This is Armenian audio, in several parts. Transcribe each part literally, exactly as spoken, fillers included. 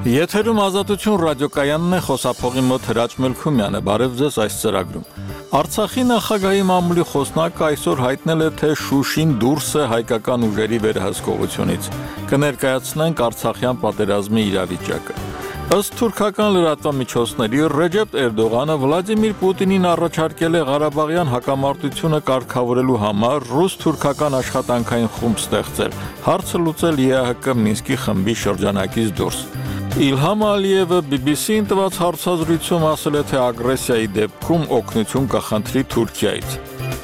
Եթերում Ազատություն ռադիոկայանն է, խոսափողի մոտ Հրաչ Մելքումյանը, բարև ձեզ այս ծրագրում։ Արցախի նախագահի մամուլի խոսնակը այսօր հայտնել է, թե Շուշին դուրս է հայկական ուժերի վերահսկողությունից։ Կներկայացնենք Արցախյան պատերազմի իրավիճակը։ Ըստ թուրքական լրատվամիջոցների Ռեջեփ Էրդողանը Վլադիմիր Պուտինին առաջարկել է Ղարաբաղյան հակամարտությունը կարգավորելու համար ռուս-թուրքական աշխատանքային խումբ ստեղծել, հարցը լուծել ԵԱՀԿ Մինսկի խմբի շրջանակից դուրս։ Իլհամ Ալիևը բի բի սի-ին տված հարցազրույցում ասել է, թե ագրեսիայի դեպքում օգնություն կխնդրի Թուրքիայից։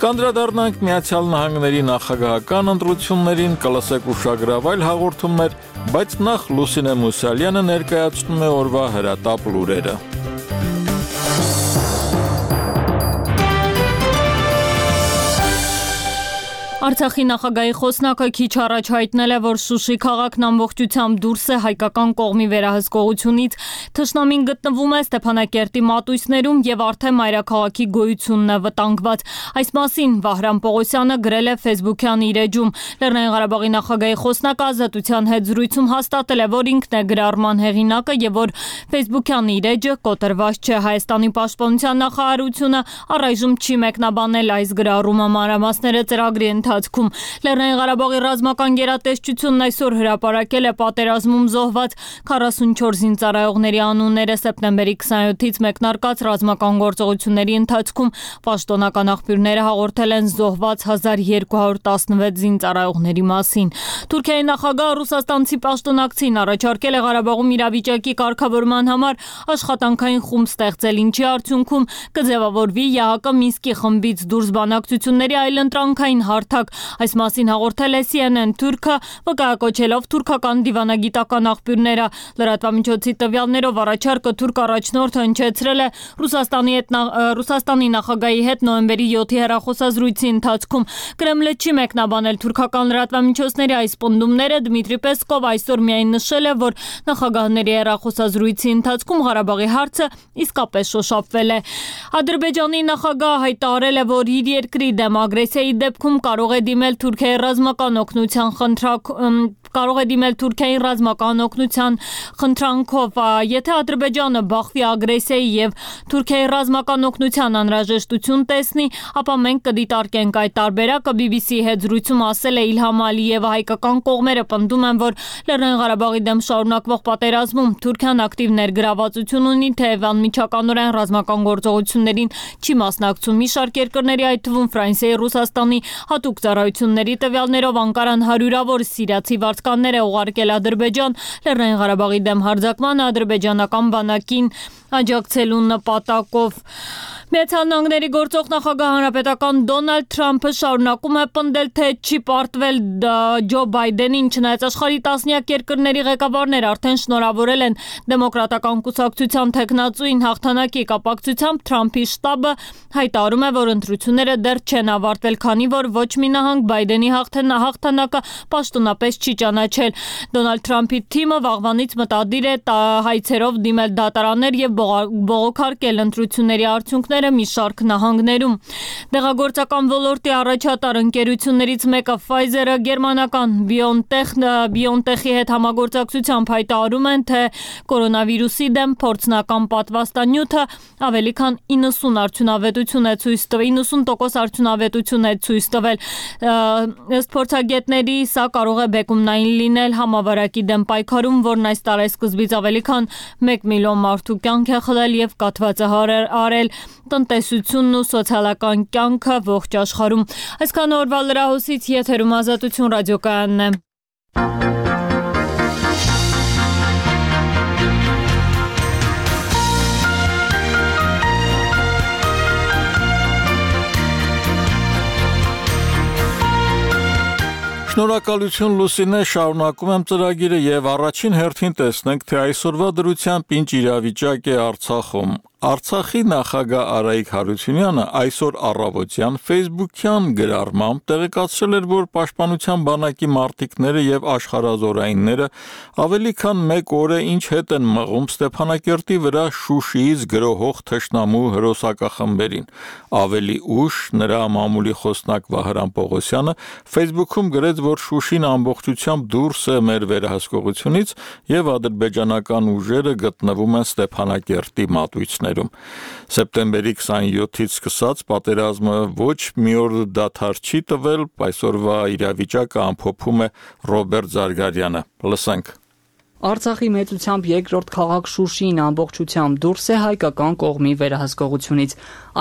Կանդրադառնանք Միացյալ Նահանգների նախագահական ընտրություններին, կլսեք ուշագրավ այլ հաղորդումներ, բայց նախ Լուսինե Մուսալյանը ներկայացնում է օրվա հրատապ լուրերը։ Արցախի նախագահի խոսնակը քիչ առաջ հայտնել է, որ Շուշի քաղաքն ամբողջությամբ դուրս է հայկական կողմի վերահսկողությունից, թշնամին գտնվում է Ստեփանակերտի մատույցներում եւ արդեն մայրաքաղաքի գոյությունն է վտանգված։ Այս մասին Վահրամ Պողոսյանը գրել է Facebook-յան իր էջում։ Լեռնային Ղարաբաղի նախագահի խոսնակը Ազատության հետ զրույցում հաստատել է, որ ինքն է գրառման հեղինակը եւ որ Facebook-յան իր էջը կոտրված չէ։ Հայաստանի պաշտպանության նախարարությունը առայժմ չի մեկնաբանել այս գրառումը, մանրամասները ծրագրի ընթացքում։ Լեռնային Ղարաբաղի ռազմական գերատեսչությունն այսօր հրապարակել է պատերազմում զոհված քառասունչորս զինծառայողների անունները սեպտեմբերի քսանյոթից մեկնարկած ռազմական գործողությունների ընթացքում պաշտոնական աղբյուրները հաղորդել են զոհված հազար երկու հարյուր տասնվեց զինծառայողների մասին։ Թուրքիայի նախագահ ռուսաստանցի պաշտոնակցին առաջարկել է Ղարաբաղում իրավիճակի կարգավորման համար աշխատանքային խումբ ստեղծել, ինչի արդյունքում կձևավորվի ԵԱՀԿ Մինսկի խմբից դուրս բանակցությունների այլընտրանքային հարթակ։ Այս մասին հաղորդել է Սի Են Են Թուրքը, վկայակոչելով թուրքական դիվանագիտական աղբյուրները։ Լրատվամիջոցի տվյալներով առաջարկը թուրք առաջնորդը հնչեցրել է Ռուսաստանի հետ Ռուսաստանի նախագահի հետ նոյեմբերի յոթի հեռախոսազրույցի ընթացքում։ Կրեմլը չի մեկնաբանել թուրքական լրատվամիջոցների այս պնդումները։ Դմիտրի Պեսկով այսօր միայն նշել է, որ նախագահների հեռախոսազրույցի ընթացքում Ղարաբաղի հարցը իսկապես շոշափվել է։ Ադրբեջանի նախագահը հայտարարել է, որ իր երկրի դեմ ագրեսիայի դեպքում կարող է դիմել Թուրքիայի ռազմական օգնության խնդրակ կարող է դիմել Թուրքիայի ռազմական օգնության խնդրանքով։ Եթե Ադրբեջանը բախվի ագրեսիայի եւ Թուրքիայի ռազմական օգնության անհրաժեշտություն տեսնի, ապա մենք կդիտարկենք այդ տարբերակը։ բի բի սի-ի հետ զրույցում ասել է Իլհամ Ալիևը։ Հայկական կողմերը պնդում են, որ Լեռնային Ղարաբաղի դեմ շարունակվող պատերազմում Թուրքիան ակտիվ ներգրավվածություն ունի, թեև անմիջականորեն ռազմական գործողություններին չի մասնակցում։ Մի շարք երկրների, այդ թվում Ֆրանսիայի, Ռուսաստանի հատուկ ծառայությունների տվյալներով Անկարան հարյուրավոր սիրիացի վարձկաններ է ուղարկել Ադրբեջան Լեռնային Ղարաբաղի դեմ հարձակման ադրբեջանական բանակին աջակցելու նպատակով։ Միացյալ Նահանգների գործող նախագահ հանրապետական Դոնալդ Թրամփը շարունակում է պնդել, թե չի պարտվել Ջո Բայդենին, չնայած աշխարհի տասնյակ երկրների ղեկավարներ արդեն շնորհավորել են դեմոկրատական կուսակցության թեկնածուին հաղթանակի կապակցությամբ։ Թրամփի շտաբը հայտարարում է, որ ընտրությունները դեռ չեն ավարտվել, քանի որ ոչ մի նահանգ Բայդենի հաղթանակը պաշտոնապես չի ճանաչել։ Դոնալդ Թրամփի թիմը վաղվանից մտադիր է հայցերով դիմել դատարաններ եւ բողոքարկել ընտրությունների արդյունքները մի շարք նահանգներում։ Դեղագործական ոլորտի առաջատար ընկերություններից մեկը Pfizer-ը գերմանական BioNTech-ի հետ համագործակցությամբ հայտարարում են, թե կորոնավիրուսի դեմ փորձնական պատվաստանյութը ավելի քան իննսուն արդյունավետություն է ցույց տվել, իննսուն տոկոս արդյունավետություն է ցույց տվել։ Ըստ փորձագետների, սա կարող է բեկումնային լինել համավարակի դեմ պայքարում, որն այս տարեսկզբից ավելի քան մեկ միլիոն մարդու կյանք է խլել եւ կաթված է արել տնտեսությունն ու սոցիալական կյանքը ողջ աշխարհում։ Այսքան օրվա լրահոսից եթերում Ազատություն ռադիոկայանն է։ Շնորհակալություն Լուսինե, շարունակում եմ ծրագիրը եւ առաջին հերթին տեսնենք, թե այսօրվա դրությամբ ինչ իրավիճակ է Արցախում։ Արցախի նախագահ Արայիկ Հարությունյանը այսօր առավոտյան Facebook-յան գրառմամբ տեղեկացրել էր, որ Պաշտպանության բանակի մարտիկները եւ աշխարհազորայինները ավելի քան մեկ օր է ինչ հետ են մղում Ստեփանակերտի վրա Շուշիից գրոհող թշնամու հրոսակախմբերին։ Ավելի ուշ նրա մամուլի խոսնակ Վահրամ Պողոսյանը Facebook-ում գրեց, որ Շուշին ամբողջությամբ դուրս է մեր վերահսկողությունից եւ ադրբեջանական ուժերը գտնվում են Ստեփանակերտի մատույցներում։ Սեպտեմբերի քսաներկուից սկսած պատերազմը ոչ մի օր դադար չի տվել, այսօրվա իրավիճակը ամփոփում է Ռոբերտ Զարգարյանը։ Լսենք։ Արցախի մեծությամբ երկրորդ քաղաք Շուշին ամբողջությամբ դուրս է հայկական կողմի վերահսկողությունից։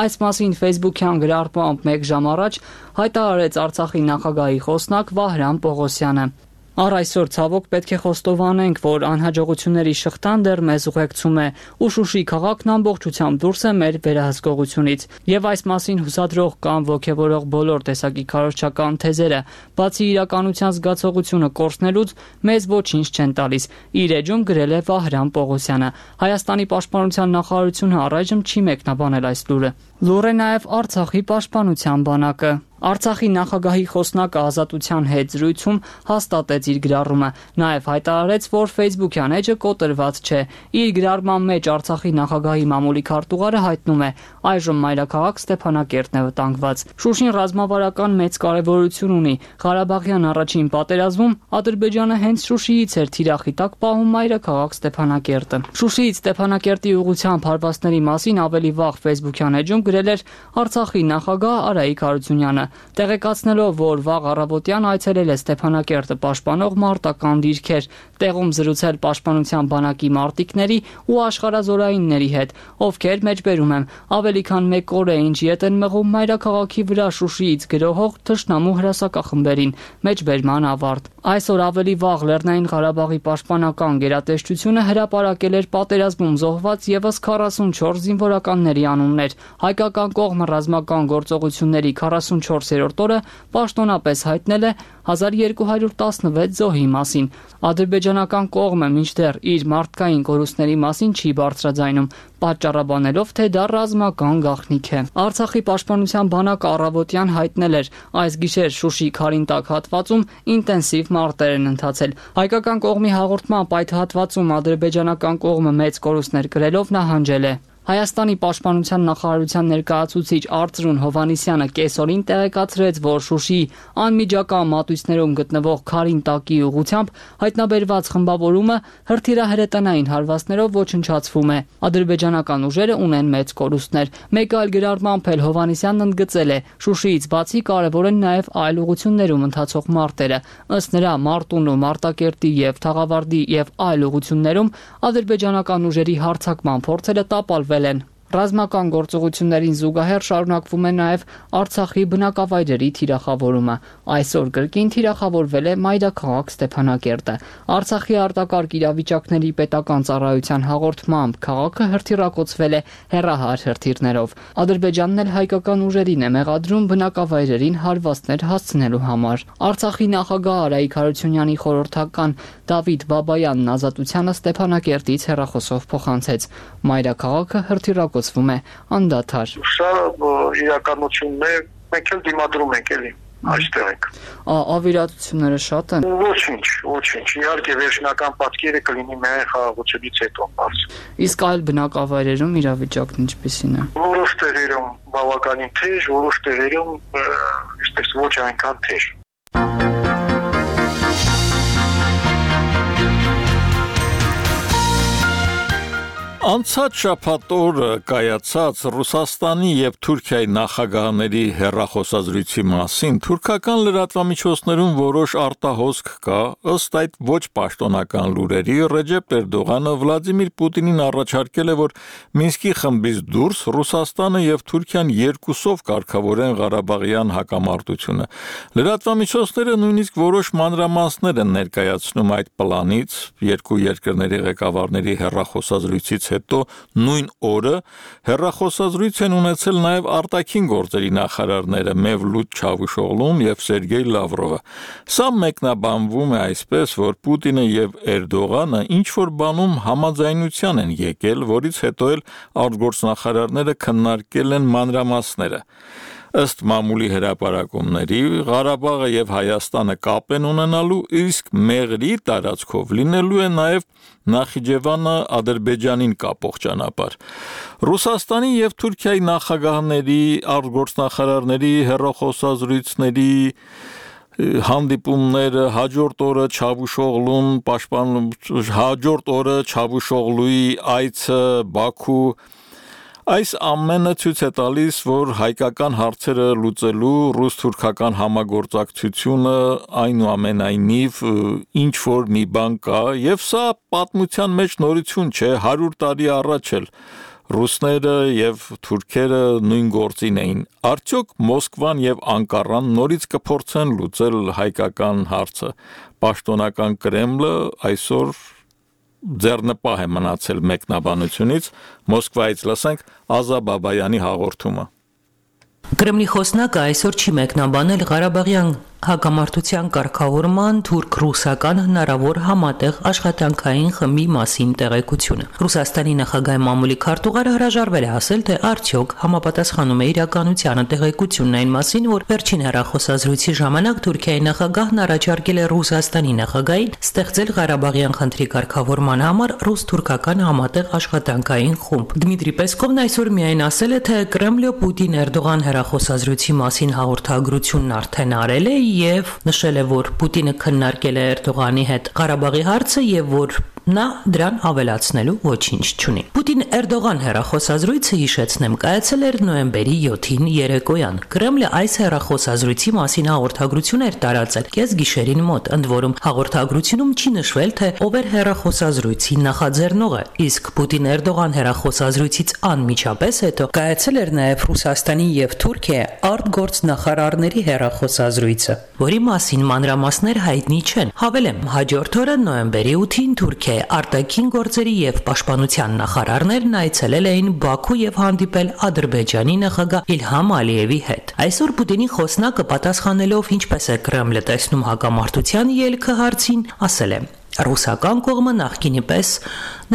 Այս մասին Facebook-յան գրառմամբ մեկ ժամ առաջ հայտարարեց Արցախի նախագահի խոսնակ Վահրամ Պողոսյանը։ Առ այսօր ցավոք պետք է խոստովանենք, որ անհաջողությունների շղթան դեռ մեզ ուղեկցում է, ու Շուշի քաղաքն ամբողջությամբ դուրս է մեր վերահսկողությունից, եւ այս մասին հուսադրող կամ ոգևորող բոլոր տեսակի քարոզչական թեզերը, բացի իրականության զգացողությունը կորցնելուց, մեզ ոչինչ չեն տալիս, իր էջում գրել է Վահրամ Պողոսյանը։ Հայաստանի պաշտպանության նախարարությունը առայժմ չի մեկնաբանել այս լուրը։ Լուր է նաև Արցախի պաշտպանության բանակը։ Արցախի նախագահի խոսնակը Ազատության հետ զրույցում հաստատեց իր գրառումը, նաև հայտարարեց, որ Facebook-յան էջը կոտրված չէ։ Իր գրառման մեջ Արցախի նախագահի մամուլի քարտուղարը հայտնում է, այժմ մայրաքաղաք Ստեփանակերտն է վտանգված։ Շուշին ռազմավարական մեծ կարևորություն ունի։ Ղարաբաղյան առաջին պատերազմում Ադրբեջանը հենց Շուշիից էր թիրախի տակ պահում մայրաքաղաք Ստեփանակերտը։ Շուշիից Ստեփանակերտի ուղղությամբ հարվածների մասին ավելի վաղ Facebook-յան էջում գրել էր Արցախի նախագահ Արայիկ Հարությունյանը, տեղեկացնելով, որ վաղ առավոտյան այցելել է Ստեփանակերտը պաշտպանող մարտական դիրքեր, տեղում զրուցել պաշտպանության բանակի մարտիկների ու աշխարհազորայինների հետ, ովքեր մեջբերում են ավելի քան մեկ օր է ինչ ետ են մղում մայրաքաղաքի վրա Շուշիից գրոհող թշնամու հրասակախմբերին, մեջբերման ավարտ։ Այսօր ավելի վաղ Լեռնային Ղարաբաղի պաշտպանական գերատեսչությունը հրապարակել էր պատերազմում զոհված եւս քառասունչորս զինվորականների անուններ։ Հայկական կողմը ռազմական գործողությունների քառասունչորսերորդ օրը պաշտոնապես հայտնել է հազար երկու հարյուր տասնվեց զոհի մասին։ Ադրբեջանական կողմը մինչդեռ իր մարդկային կորուստների մասին չի բարձրաձայնում, պատճառաբանելով, թե դա ռազմական գաղտնիք է։ Արցախի պաշտպանության բանակը առավոտյան հայտնել էր, այս գիշեր Շուշի Քարինտակ հատվածում ինտենսիվ մարտեր են ընթացել։ Հայկական կողմի հաղորդմամբ այդ հատվածում ադրբեջանական կողմը մեծ կորուստներ կրելով նահանջել է։ Հայաստանի պաշտպանության նախարարության ներկայացուցիչ Արծրուն Հովհաննիսյանը կեսօրին տեղեկացրեց, որ Շուշիի անմիջական մատույցներում գտնվող Քարինտակի ուղղությամբ հայտնաբերված խմբավորումը հրթիռահրետանային հարվածներով ոչնչացվում է։ Ադրբեջանական ուժերը ունեն մեծ կորուստներ։ Մեկ այլ գրառմամբ էլ Հովհաննիսյանն ընդգծել է, Շուշիից բացի կարևոր են նաև այլ ուղղություններում ընթացող մարտերը։ Ըստ նրա, Մարտունու, Մարտակերտի եւ Թաղավարտի եւ այլ ուղղություններում ադրբեջանական ուժերի հարձակման փորձերը տապալվել են։ Ռազմական գործողություններին զուգահեռ շարունակվում է նաև Արցախի բնակավայրերի թիրախավորումը։ Այսօր կրկին թիրախավորվել է մայրաքաղաք Ստեփանակերտը։ Արցախի արտակարգ իրավիճակների պետական ծառայության հաղորդմամբ քաղաքը հրթիռակոծվել է հեռահար հրթիռներով։ Ադրբեջանն էլ հայկական ուժերին է մեղադրում բնակավայրերին հարվածներ հասցնելու համար։ Արցախի նախագահ Արայիկ Հարությունյանի խորհրդական Դավիթ Բաբայանն Ազատությանը Ստեփանակերտից հեռախոսով փոխանցեց։ Մայրաքաղաքը հրթիռակոծվում է անդադար։ Սա իրականությունն է, մենք էլ դիմադրում ենք էլի այստեղ ենք։ Ավիրատությունները շատ են։ Ոչինչ, ոչինչ։ Իհարկե վերջնական պատկերը կլինի միայն խաղաղությունից հետո բաց։ Իսկ այլ բնակավայրերում իրավիճակն ինչպիսին է։ Որոշ տեղերում բավականին թեժ, որոշ տեղերում այսպես ոչ այնքան թեժ։ Անցած շաբաթ օրը կայացած Ռուսաստանի եւ Թուրքիայի նախագահների հեռախոսազրույցի մասին թուրքական լրատվամիջոցներում որոշ արտահոսք կա, ըստ այդ ոչ պաշտոնական լուրերի Ռեջեփ Էրդողանը Վլադիմիր Պուտինին առաջարկել է, որ Մինսկի խմբից դուրս Ռուսաստանը եւ Թուրքիան երկուսով կարգավորեն Ղարաբաղյան հակամարտությունը։ Լրատվամիջոցները նույնիսկ որոշ մանրամասներ են ներկայացնում այդ պլանից, երկու երկրների ղեկավարների հեռախոսազրույցից հետո հետո նույն օրը հեռախոսազրույց են ունեցել նաև արտաքին գործերի նախարարները Մևլութ Չավուշօղլուն եւ Սերգեյ Լավրովը։ Սա մեկնաբանվում է այսպես, որ Պուտինը եւ Էրդողանը ինչ որ բանում համաձայնության են եկել, որից հետո էլ արտգործնախարարները քննարկել են մանրամասները։ Ըստ մամուլի հրապարակումների Ղարաբաղը եւ Հայաստանը կապ են ունենալու, իսկ Մեղրի տարածքով լինելու է նաեւ Նախիջևանը Ադրբեջանին կապող ճանապարհ։ Ռուսաստանի եւ Թուրքիայի նախագահների, արտգործնախարարների հեռախոսազրույցների հանդիպումները հաջորդ օրը Չավուշօղլուն պաշտպան հաջորդ օրը Չավուշօղլուի այցը Բաքու Այս ամենը ցույց է տալիս, որ հայկական հարցերը լուծելու ռուս-թուրքական համագործակցությունը այնուամենայնիվ ինչ որ մի բան կա, եւ սա պատմության մեջ նորություն չէ, հարյուր տարի առաջ էլ ռուսները եւ թուրքերը նույն գործին էին։ Արդյոք Մոսկվան եւ Անկարան նորից կփորձեն լուծել հայկական հարցը։ Պաշտոնական Կրեմլը այսօր ձեռնպահ է մնացել մեկնաբանությունից, Մոսկվայից լսենք Ազա Բաբայանի հաղորդումը։ Կրեմլի խոսնակը այսօր չի մեկնաբանել Ղարաբաղյան հակամարտության կարգավորման թուրք-ռուսական հնարավոր համատեղ աշխատանքային խմբի մասին տեղեկությունը։ Ռուսաստանի նախագահի մամուլի քարտուղարը հրաժարվել է ասել, թե արդյոք համապատասխանում է իրականությանը տեղեկությունն այն մասին, որ վերջին հեռախոսազրույցի ժամանակ Թուրքիայի նախագահն առաջարկել է Ռուսաստանի նախագահին ստեղծել Ղարաբաղյան խնդրի կարգավորման համար ռուս-թուրքական համատեղ աշխատանքային խումբ։ Դմիտրի Պեսկովն այսօր միայն ասել է, թե Կրեմլը Պուտին-Էրդողան հեռախոսազրույցի մասին հաղորդագրությունն արդեն արել է եւ նշել է, որ Պուտինը քննարկել է Էրդողանի հետ Ղարաբաղի հարցը եւ որ նա դրան ավելացնելու ոչինչ չունի։ Պուտին-Էրդողան հեռախոսազրույցը, հիշեցնեմ, կայացել էր նոյեմբերի յոթին երեկոյան։ Կրեմլը այս հեռախոսազրույցի մասին հաղորդագրություն էր տարածել կեսգիշերին մոտ, ընդ որում հաղորդագրությունում չի նշվել, թե ով էր հեռախոսազրույցի նախաձեռնողը, իսկ Պուտին-Էրդողան հեռախոսազրույցից անմիջապես հետո կայացել էր նաև Ռուսաստանի եւ Թուրքիայի արտգործնախարարների հեռախոսազրույցը, որի մասին մանրամասներ հայտնի չեն։ Հավելեմ, հաջորդ օրը նոյեմբերի ութին Թուրքիայի արտաքին գործերի եւ պաշտպանության նախարարներն այցելել էին Բաքու եւ հանդիպել Ադրբեջանի նախագահ Իլհամ Ալիևի հետ։ Այսօր Պուտինի խոսնակը պատասխանելով ինչպես է Կրեմլը տեսնում հակամարտության ելքը հարցին, ասել է. Ռուսական կողմը նախկինի պես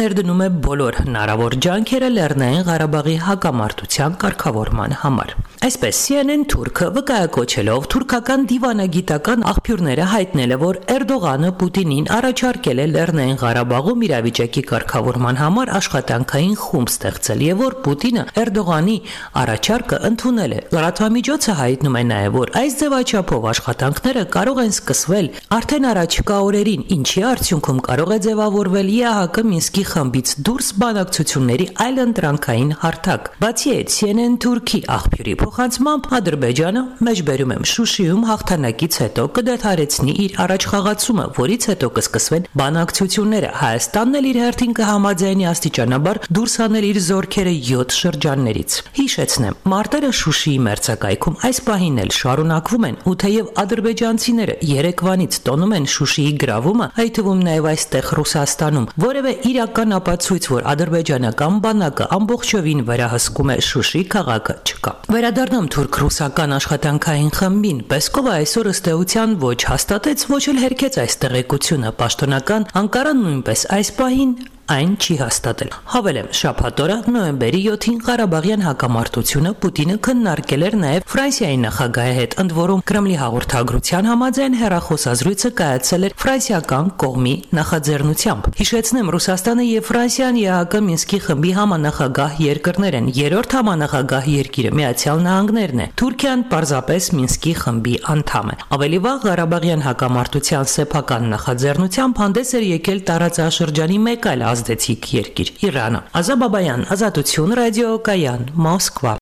ներդնում է բոլոր հնարավոր ջանքերը Լեռնային Ղարաբաղի հակամարտության կարգավորման համար։ Այսպես C N N թուրքը վկայակոչելով թուրքական դիվանագիտական աղբյուրները հայտնել է, որ Էրդողանը Պուտինին առաջարկել է Լեռնային Ղարաբաղում իրավիճակի կարգավորման համար աշխատանքային խումբ ստեղծել եւ որ Պուտինը Էրդողանի առաջարկը ընդունել է։ Լրատվամիջոցը հայտնում է նաեւ, որ այս ձևաչափով աշխատանքները կարող են սկսվել արդեն առաջիկա օրերին, ինչի արդյունքում կարող է ձևավորվել Ե Ահ Կը Մինսկի խմբից դուրս բանակցությունների այլընտրանքային հարթակ։ Բացի այդ, C N N թուրքի աղբյուրի փոխանցմամբ Ադրբեջանը մեջբերում եմ Շուշիում հաղթանակից հետո կդադարեցնի իր առաջխաղացումը, որից հետո կսկսվեն բանակցությունները։ Հայաստանն էլ իր հերթին կհամաձայնի աստիճանաբար դուրս հանել իր զորքերը յոթ շրջաններից։ Հիշեցնեմ, մարտերը Շուշիի մերձակայքում այս պահին էլ շարունակվում են, ու թեև ադրբեջանցիները Երևանից տոնում են Շուշիի գրավումը, այդ թվում նաև այստեղ Ռուսաստանում որևէ իրական ապացույց, որ ադրբեջանական բանակը ամբողջովին վերահսկում է Շուշի քաղաքը, չկա։ Վերադառնամ թուրք-ռուսական աշխատանքային խմբին։ Պեսկովը այսօր ըստ էության ոչ հաստատեց, ոչ էլ հերքեց այս տեղեկությունը։ Պաշտոնական Անկարան նույնպես այս պահին այն չի հաստատել։ Հավելեմ, շաբաթ օրը նոյեմբերի յոթին Ղարաբաղյան հակամարտությունը Պուտինը քննարկել էր նաև Ֆրանսիայի նախագահի հետ, ընդ որում Կրեմլի հաղորդագրության համաձայն հեռախոսազրույցը կայացել էր ֆրանսիական կողմի նախաձեռնությամբ։ Հիշեցնեմ, Ռուսաստանը եւ Ֆրանսիան Ե Ահ Կը Մինսկի խմբի համանախագահ երկրներ են։ Երրորդ համանախագահ երկիրը Միացյալ Նահանգներն է։ Թուրքիան պարզապես Մինսկի խմբի անդամ է։ Ավելի վաղ Ղարաբաղյան հակամարտության սեփական նախաձեռնությամբ հանդես էր եկել տարածաշրջանի մեկ այլ ազդեցիկ երկիր՝ Իրանը։ Ազա Բաբայան, Ազատություն, Ռադիո Կայան, Մոսկվա։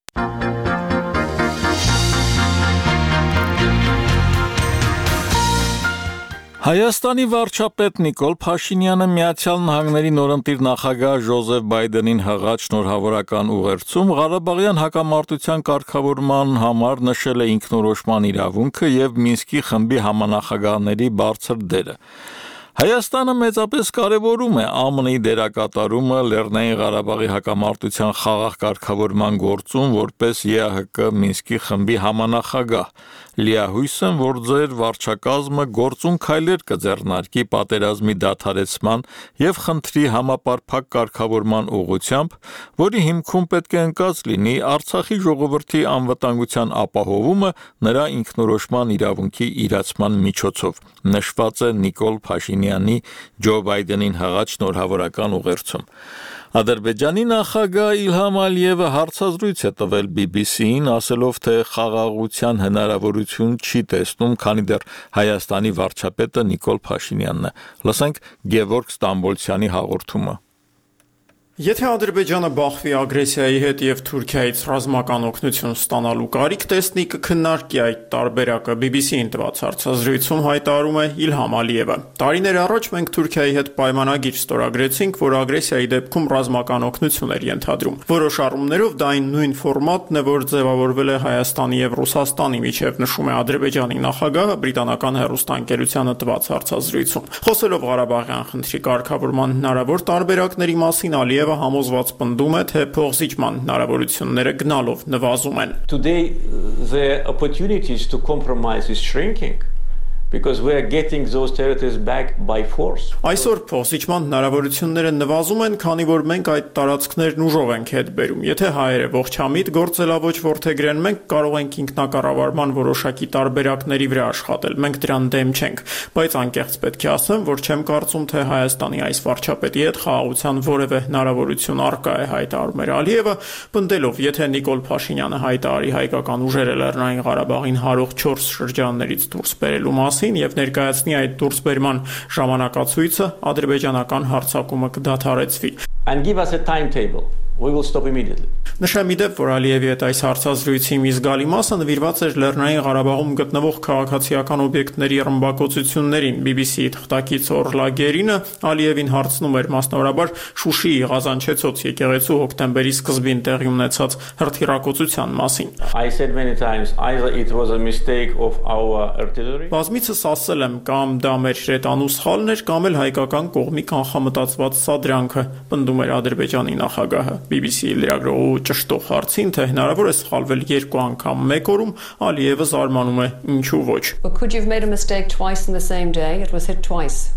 Հայաստանի վարչապետ Նիկոլ Փաշինյանը Միացյալ Նահանգների նորընտիր նախագահ Ջոզեֆ Բայդենին հղած շնորհավորական ուղերձում Ղարաբաղյան հակամարտության կարգավորման համար նշել է ինքնորոշման իրավունքը եւ Մինսկի խմբի համանախագահների բարձր դերը։ Հայաստանը մեծապես կարևորում է ԱՄՆ-ի դերակատարումը Լեռնային Ղարաբաղի հակամարտության խաղաղ կարգավորման գործում որպես ԵԱՀԿ Մինսկի խմբի համանախագահ։ Լիահույս եմ, որ ձեր վարչակազմը գործուն քայլեր կձեռնարկի պատերազմի դադարեցման եւ խնդրի համապարփակ կարգավորման ուղղությամբ, որի հիմքում պետք է ընկած լինի Արցախի ժողովրդի անվտանգության ապահովումը նրա ինքնորոշման իրավունքի իրացման միջոցով, նշված է Նիկոլ Փաշինյանի Ջո Բայդենին հղած շնորհավորական ուղերձում։ Ադրբեջանի նախագահ Իլհամ Ալիևը հարցազրույց է տվել բի բի սի-ին, ասելով, թե խաղաղության հնարավորություն չի տեսնում, քանի դեռ Հայաստանի վարչապետը Նիկոլ Փաշինյանն է։ Լսենք Գևորգ Ստամբոլցյանի հաղորդումը։ Եթե Ադրբեջանը բախվի ագրեսիայի հետ եւ Թուրքիայից ռազմական օգնություն ստանալու կարիք տեսնի, կքննարկի այդ տարբերակը, բի բի սի-ին տված հարցազրույցում հայտարարում է Իլհամ Ալիևը։ Տարիներ առաջ մենք Թուրքիայի հետ պայմանագիր ստորագրեցինք, որ ագրեսիայի դեպքում ռազմական օգնություն էր ենթադրում։ Որոշ առումներով դա այն նույն ֆորմատն է, որ ձևավորվել է Հայաստանի եւ Ռուսաստանի միջև, նշում է Ադրբեջանի նախագահը բրիտանական հեռուստաընկերությանը տված հարցազրույցում։ Խոսելով Ղարաբաղյան խնդրի կարգավորման հնարավոր տարբերակների մասին, Ալիևը համոզված պնդում է, թե փոխզիջման հնարավորությունները գնալով նվազում են։ Today the opportunities to compromise is shrinking because we are getting those territories back by force. Այսօր փոխզիջման հնարավորությունները նվազում են, քանի որ մենք այդ տարածքներն ուժով ենք հետ բերում։ Եթե հայերը ողջամիտ գործելավոճ որդեգրեն, մենք կարող ենք ինքնակառավարման որոշակի տարբերակների վրա աշխատել։ Մենք դրան դեմ չենք, բայց անկեղծ պետք է ասեմ, որ չեմ կարծում, թե Հայաստանի այս վարչապետի հետ խաղաղության որևէ հնարավորություն առկա է, հայտարարում էր Ալիևը, պնդելով, եթե Նիկոլ Փաշինյանը հայտարարի հայկական ուժերը Լեռնային Ղարաբաղին հարող չորս շրջաններից դուրս բերելու մասին եւ ներկայացնի այդ դուրսբերման ժամանակացույցը, ադրբեջանական հարձակումը կդադարեցվի։ And give us a timetable. We will stop immediately. Նշեմ իդեպ, որ Ալիևի հետ այս հարցազրույցի մի զգալի մասը նվիրված էր Լեռնային Ղարաբաղում գտնվող քաղաքացիական օբյեկտների ռմբակոծություններին։ բի բի սի-ի թղթակից Օրլա Գերինը Ալիևին հարցնում էր մասնավորաբար Շուշիի Ղազանչեցոց եկեղեցու հոկտեմբերի սկզբին տեղի ունեցած հրթիռակոծության մասին։ I said many times either it was a mistake of our artillery. Բազմիցս ասել եմ, կամ դա մեր հրետանու սխալն էր, կամ էլ հայկական կողմի կանխամտածված սադրանքը, պնդում էր Ադրբեջանի նախագահը։ բի բի սի-ի լրագրողու ճշտող հարցին, թե հնարավոր է սխալվել երկու անգամ մեկ օրում, Ալիևը զարմանում է, ինչու ոչ։ But could you have made a mistake twice in the same day? It was hit twice.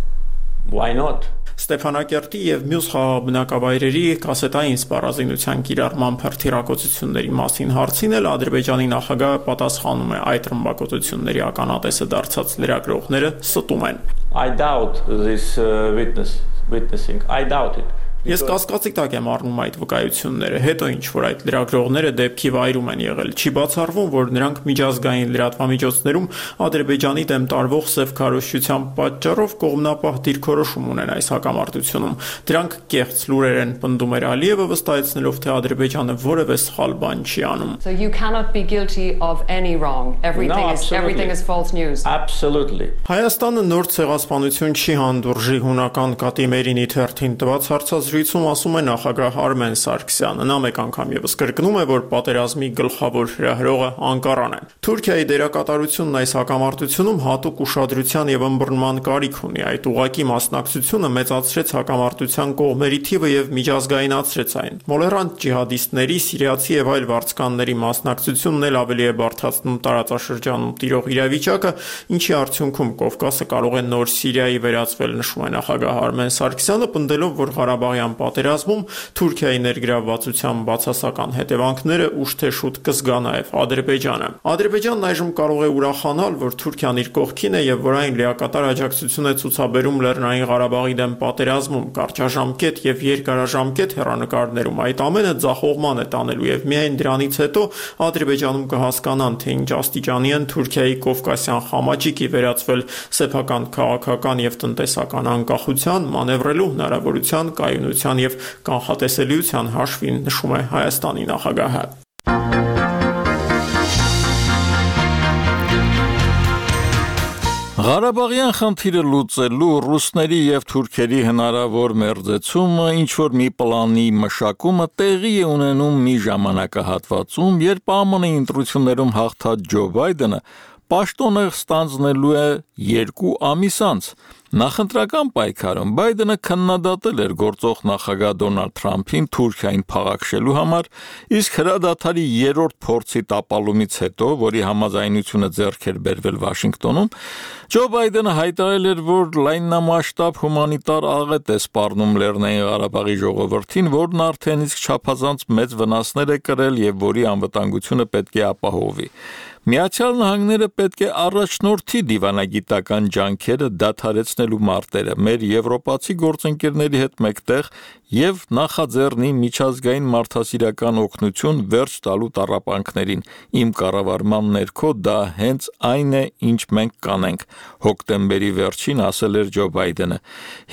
Why not? Ստեփանակերտի եւ մյուս խաղաբնակավայրերի կասետային սպառազինության կիրառման հրթիռակոծությունների մասին հարցին էլ Ադրբեջանի նախագահը պատասխանում է, այդ ռմբակոծությունների ականատեսը դարձած լրագրողները ստում են։ I doubt this uh, witness witnessing. I doubt it. Ես կասկածի տակ եմ առնում այդ վկայությունները, հետո ինչ որ այդ լրագրողները դեպքի վայրում են եղել, չի բացառվում, որ նրանք միջազգային լրատվամիջոցներում Ադրբեջանի դեմ տարվող սև քարոզչության պատճառով կողմնապահ դիրքորոշում ունեն այս հակամարտությունում։ Դրանք կեղծ լուրեր են, պնդում էր Ալիևը, վստահեցնելով, թե Ադրբեջանը որևէ սխալ բան չի անում։ So you cannot be guilty of any wrong. Everything No, is everything is false news. Absolutely. Հայաստանը նոր ցեղասպանություն չի հանդուրժի հունական կատիմերինի թերթին տված հարցազրույցում ասում է նախագահ Արմեն Սարգսյանը։ Նա մեկ անգամ եւս կրկնում է, որ պատերազմի գլխավոր հրահրողը Անկարան է։ Թուրքիայի դերակատարությունն այս հակամարտությունում հատուկ ուշադրության եւ ըմբռնման կարիք ունի։ Այդ ուղղակի մասնակցությունը մեծացրեց հակամարտության կողմերի թիվը եւ միջազգայնացրեց այն։ Մոլերանտ ջիհադիստների, սիրիացի եւ այլ վարձկանների մասնակցությունն էլ ավելի է բարդացնում տարածաշրջանում տիրող իրավիճակը, ինչի արդյունքում Կովկասը կարող է նոր Սիրիայի վերածվել, նշում է նախագահ Արմեն Սարգսյանը, պնդելով, որ Ղարաբաղյան պատերազմում Թուրքիայի ներգրավվածության բացասական հետևանքները ուշ թե շուտ կզգա նաև Ադրբեջանը։ Ադրբեջանն այժմ կարող է ուրախանալ, որ Թուրքիան իր կողքին է եւ որ այն լիակատար աջակցություն է ցուցաբերում Լեռնային Ղարաբաղի դեմ պատերազմում, կարճաժամկետ եւ երկարաժամկետ հեռանկարներում։ Այդ ամենը ձախողման է տանելու եւ միայն դրանից հետո Ադրբեջանում կհասկանան, թե ինչ աստիճանի են Թուրքիայի Կովկասյան խամաճիկի վերածվել սեփական քաղաքական եւ տնտեսական անկախության, մանևրելու հնարավորության, կայունության եւ կանխատեսելիության հաշվին, նշում է Հայաստանի նախագահը։ Ղարաբաղյան խնդիրը լուծելու ռուսների եւ թուրքերի հնարավոր մերձեցումը ինչ որ մի պլանի մշակումը տեղի է ունենում մի ժամանակահատվածում, երբ ԱՄՆ ընտրություններում հաղթած Ջո Բայդենը պաշտոնը ստանձնելու է երկու ամիս անց։ Նախընտրական պայքարում Բայդենը քննադատել էր գործող նախագահ Դոնալդ Թրամփին Թուրքիային փաղաքշելու համար, իսկ հրադադարի երրորդ փորձի տապալումից հետո, որի համաձայնությունը ձեռք էր բերվել Վաշինգտոնում, Ջո Բայդենը հայտարարել էր, որ լայնամասշտաբ հումանիտար աղետ է սպառնում Լեռնային Ղարաբաղի ժողովրդին, որն արդեն իսկ չափազանց մեծ վնասներ է կրել եւ որի անվտանգությունը պետք է ապահովի։ Միացյալ Նահանգները պետք է առաջնորդի դիվանագիտական ջանքերը դադարեցնելու մարտերը մեր եվրոպացի գործընկերների հետ մեկտեղ եւ նախաձեռնի միջազգային մարդասիրական օգնություն վերջ տալու տառապանքներին։ Իմ կառավարման ներքո դա հենց այն է, ինչ մենք կանենք, հոկտեմբերի վերջին ասել էր Ջո Բայդենը։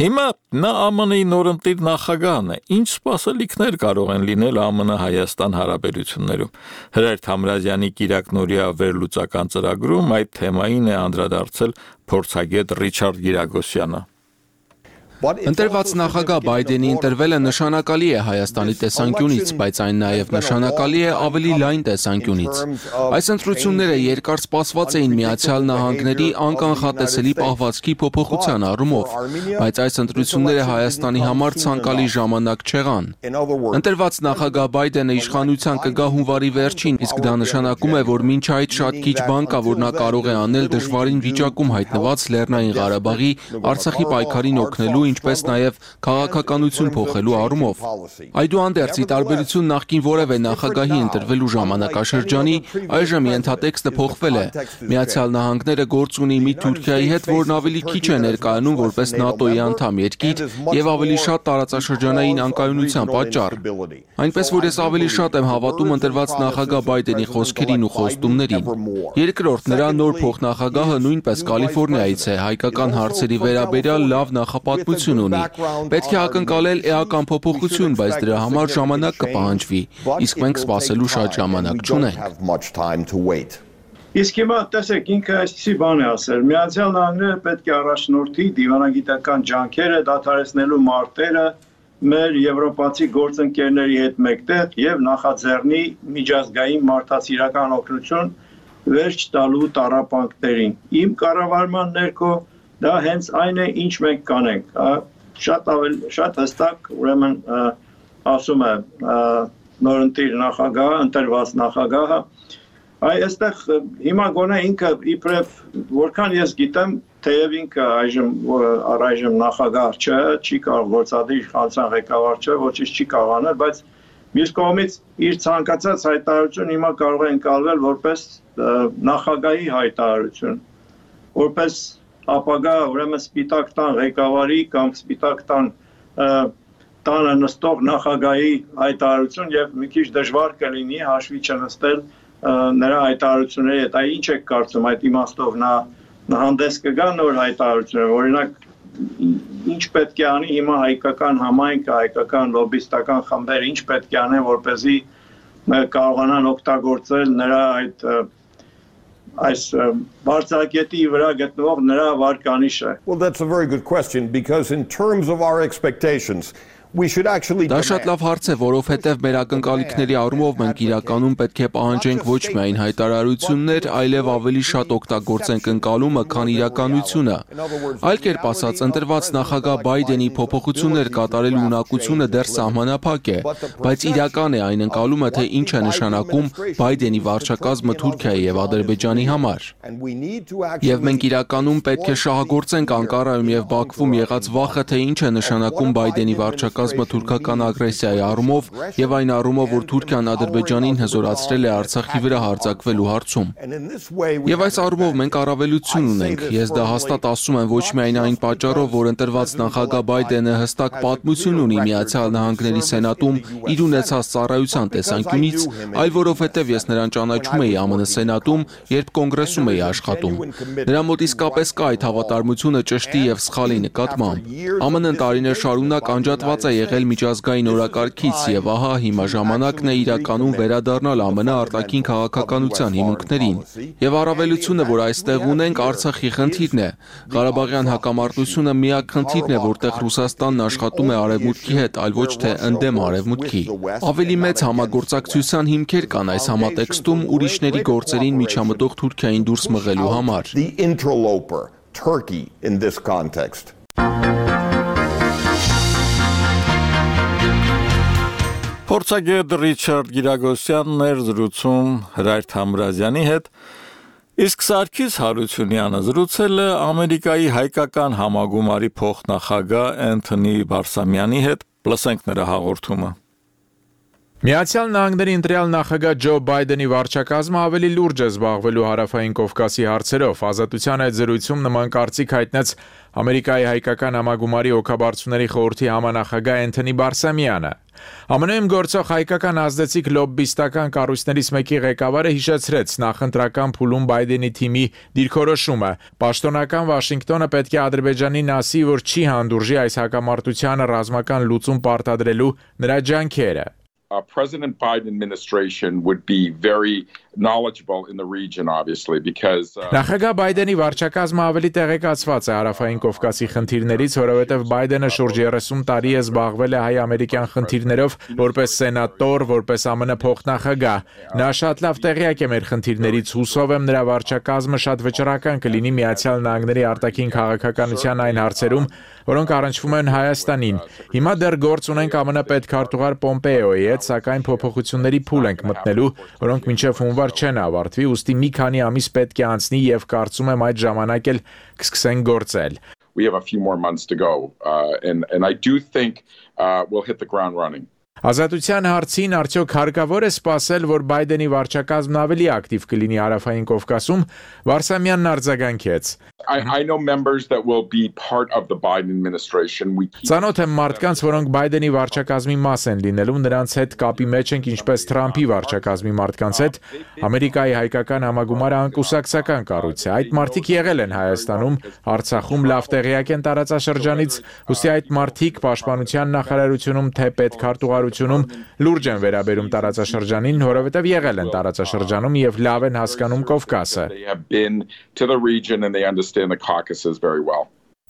Հիմա նա ԱՄՆ-ի նորընտիր նախագահն է։ Ինչ սպասելիքներ կարող են լինել ԱՄՆ-Հայաստան հարաբերություններում։ Հրայր Թամրազյանի Կիրակնորիա վերլուծական ծրագրում այդ թեմային է անդրադարձել փորձագետ Ռիչարդ Գիրագոսյանը։ Ընտրված նախագահ Բայդենի ընտրվելը նշանակալի է Հայաստանի տեսանկյունից, բայց այն նաև նշանակալի է ավելի լայն տեսանկյունից։ Այս ընտրությունները երկար սպասված էին Միացյալ Նահանգների անկանխատեսելի պահվածքի փոփոխության առումով, բայց այս ընտրությունները Հայաստանի համար ցանկալի ժամանակ չեղան։ Ընտրված նախագահ Բայդենը իշխանության կգա հունվարի վերջին, իսկ դա նշանակում է, որ մինչ այդ շատ քիչ բան կա, որ նա կարող է անել դժվարին վիճակում հայտնված Լեռնային Ղարաբաղի, Արցախի պայքարին օգնելու, ինչպես նաև քաղաքականություն փոխելու առումով։ Այդուհանդերձ, ի տարբերություն նախկին որևէ նախագահի ընտրվելու ժամանակաշրջանի, այժմ ենթատեքստը փոխվել է։ Միացյալ Նահանգները գործ ունի մի Թուրքիայի հետ, որն ավելի քիչ է ներկայանում որպես ՆԱՏՕ-ի անդամ երկիր եւ ավելի շատ տարածաշրջանային անկայունության պատճառ։ Այնպես որ ես ավելի շատ եմ հավատում ընտրված նախագահ Բայդենի խոսքերին ու խոստումներին։ Երկրորդ, նրա նոր փոխնախագահը նույնպես Կալիֆոռնիայից է, հայկական հարցերի վերաբերյալ լավ նախապատմություն ունի։ Պետք է ակնկալել էական փոփոխություն, բայց դրա համար ժամանակ կպահանջվի, իսկ մենք սպասելու շատ ժամանակ չունենք։ Իսկ հիմա տեսեք, ինքը այսպիսի բան է ասել. Միացյալ Նահանգները պետք է առաջնորդի դիվանագիտական ջանքերը դադարեցնելու մարտերը մեր եվրոպացի գործընկերների հետ մեկտեղ եւ նախաձեռնի միջազգային մարդասիրական օգնություն վերջ տալու տառապանքներին։ Իմ կառավարման ներքո դա հենց այն է, ինչ մենք կանենք։ Շատ ավելի շատ հստակ, ուրեմն ասում է նորընտիր նախագահը, ընտրված նախագահը, այ այստեղ հիմա գոնե ինքը իբրև որքան ես գիտեմ, թեև ինքը այժմ առայժմ նախագահ չէ, չի կարող գործադիր իշխանության ղեկավար չէ, ոչինչ չի կարող անել, բայց մյուս կողմից իր ցանկացած հայտարարություն հիմա կարող է ընկալվել որպես նախագահի հայտարարություն, որպես ապագա ուրեմն սպիտակ տան ղեկավարի կամ սպիտակ տան տանը նստող նախագահի հայտարարություն եւ մի քիչ դժվար կլինի հաշվի չնստել նրա հայտարարությունների հետ։ Այ ինչ եք կարծում, այդ իմաստով նա հանդես կգա նոր հայտարարությունները, օրինակ ինչ պետք է անի հիմա հայկական համայնքը, հայկական լոբիստական խմբերը, ինչ պետք է անեն, որպեսզի կարողանան օգտագործել նրա այդ այս բարձրակետի վրա գտնվող նրա վարկանիշը։ Well, that's a very good question because in terms of our expectations Դա շատ լավ հարց է, որովհետև մեր ակնկալիքների առումով մենք իրականում պետք է պահանջենք ոչ միայն հայտարարություններ, այլև ավելի շատ օգտագործենք ընկալումը, քան իրականությունը։ Այլ կերպ ասած, ընտրված նախագահ Բայդենի փոփոխություններ կատարելու ունակությունը դեռ սահմանափակ է, բայց իրական է այն ընկալումը, թե ինչ է նշանակում Բայդենի վարչակազմը Թուրքիայի եւ Ադրբեջանի համար։ Եվ մենք իրականում պետք է շահագործենք Անկարայում եւ Բաքվում եղած վախը, թե ինչ է նշանակում Բայդենի վարչակազմը կազմը թուրքական ագրեսիայի առումով եւ այն առումով, որ Թուրքիան Ադրբեջանին հզորացրել է Արցախի վրա հարձակվելու հարցում։ Եվ այս առումով մենք առավելություն ունենք։ Ես դա հաստատ ասում եմ ոչ միայն այն պատճառով, որ ընտրված նախագահ Բայդենը հստակ պատմություն ունի Միացյալ Նահանգների Սենատում իր ունեցած ծառայության տեսանկյունից, այլ որովհետեւ ես նրան ճանաչում էի ԱՄՆ Սենատում, երբ կոնգրեսում էի աշխատում։ Նրա մոտ իսկապես կա այդ հավատարմությունը ճշտի եւ սխալի նկատմամբ։ ԱՄՆ-ն տարիներ շարունակ անջատված է եղել միջազգային օրակարգից եւ ահա հիմա ժամանակն է իրականում վերադառնալ ԱՄՆ արտաքին քաղաքականության հիմունքներին։ Եվ առավելությունը, որ այստեղ ունենք, Արցախի խնդիրն է։ Ղարաբաղյան հակամարտությունը միակ խնդիրն է, որտեղ Ռուսաստանն աշխատում է Արևմուտքի հետ, այլ ոչ թե ընդդեմ Արևմուտքի։ Ավելի մեծ համագործակցության հիմքեր կան այս համատեքստում ուրիշների գործերին միջամտող Թուրքիային դուրս մղելու համար։ Turkey in this context. Փորձագետ Ռիչարդ Գիրագոսյանն էր զրուցում Հրայր Թամրազյանի հետ, իսկ Սարգիս Հարությունյանը զրուցել է Ամերիկայի հայկական համագումարի փոխնախագահ Էնթոնի Բարսամյանի հետ, լսենք նրա հաղորդումը։ Միացյալ Նահանգների ընտրյալ նախագահ Ջո Բայդենի վարչակազմը ավելի լուրջ է զբաղվելու հարավային Կովկասի հարցերով։ Ազատության այդ զրույցում նման կարծիք հայտնեց Ամերիկայի հայկական համագումարի օգաբարձուների խորհրդի համանախագահ Էնթոնի Բարսամյանը։ ԱՄՆ-ում գործող հայկական ազդեցիկ լոբբիստական կառույցներից մեկի ղեկավարը հիշեցրեց նախընտրական փուլում Բայդենի թիմի դիրքորոշումը։ Պաշտոնական Վաշինգտոնը պետք է Ադրբեջանին ասի, որ չի հանդուրժի այս հակամարտությանը ռազմական լուծում պարտադրելու նրա ջանքերը։ Uh, President Biden administration would be very knowledgeable in the region, obviously, because uh, Նախագահ Բայդենի վարչակազմը ավելի տեղեկացված է հարավային Կովկասի խնդիրներից, որովհետև Բայդենը շուրջ երեսուն տարի է զբաղվել է հայ-ամերիկյան խնդիրներով որպես սենատոր, որպես ԱՄՆ փոխնախագահ։ Նա շատ լավ տեղյակ է մեր խնդիրներից, հուսով եմ նրա վարչակազմը շատ վճռական կլինի Միացյալ Նահանգների արտաքին քաղաքականության այն հարցերում, որոնք առնչվում են Հայաստանին։ Հիմա դեռ գործ ունենք ԱՄՆ պետքարտուղար Պոմպեոյի հետ, սակայն փոփոխությունների փուլ ենք մտնելու, որոնք մինչև հունվար չեն ավարտվի, ուստի մի քանի ամիս պետք է անցնի եւ կարծում եմ այդ ժամանակ էլ կսկսեն գործել։ We have a few more months to go uh, and and I do think uh, we'll hit the ground running. Ազատության հարցին արդյոք հարկավոր է սպասել, որ Բայդենի վարչակազմն ավելի ակտիվ կլինի հարավային Կովկասում, Վարսամյանն արձագանքեց։ I I know members that will be part of the Biden administration. We Ծանոթ եմ մարդկանց, որոնք Բայդենի վարչակազմի մաս են լինելու, նրանց հետ կապի մեջ ենք ինչպես Թրամփի վարչակազմի մարդկանց հետ։ Ամերիկայի հայկական համագումարը անկուսակցական կառույց է։ Այդ մարդիկ եղել են Հայաստանում, Արցախում, լավ տեղյակ են տարածաշրջանից, ուստի այդ մարդիկ պաշտպանության նախարարությունում թե պետքարտուղարությունում լուրջ են վերաբերում տարածաշրջանին, որովհետև եղել են տարածաշրջանում եւ լավ են հասկանում Կովկասը։ They have been to the region and they understand the Caucasus very well.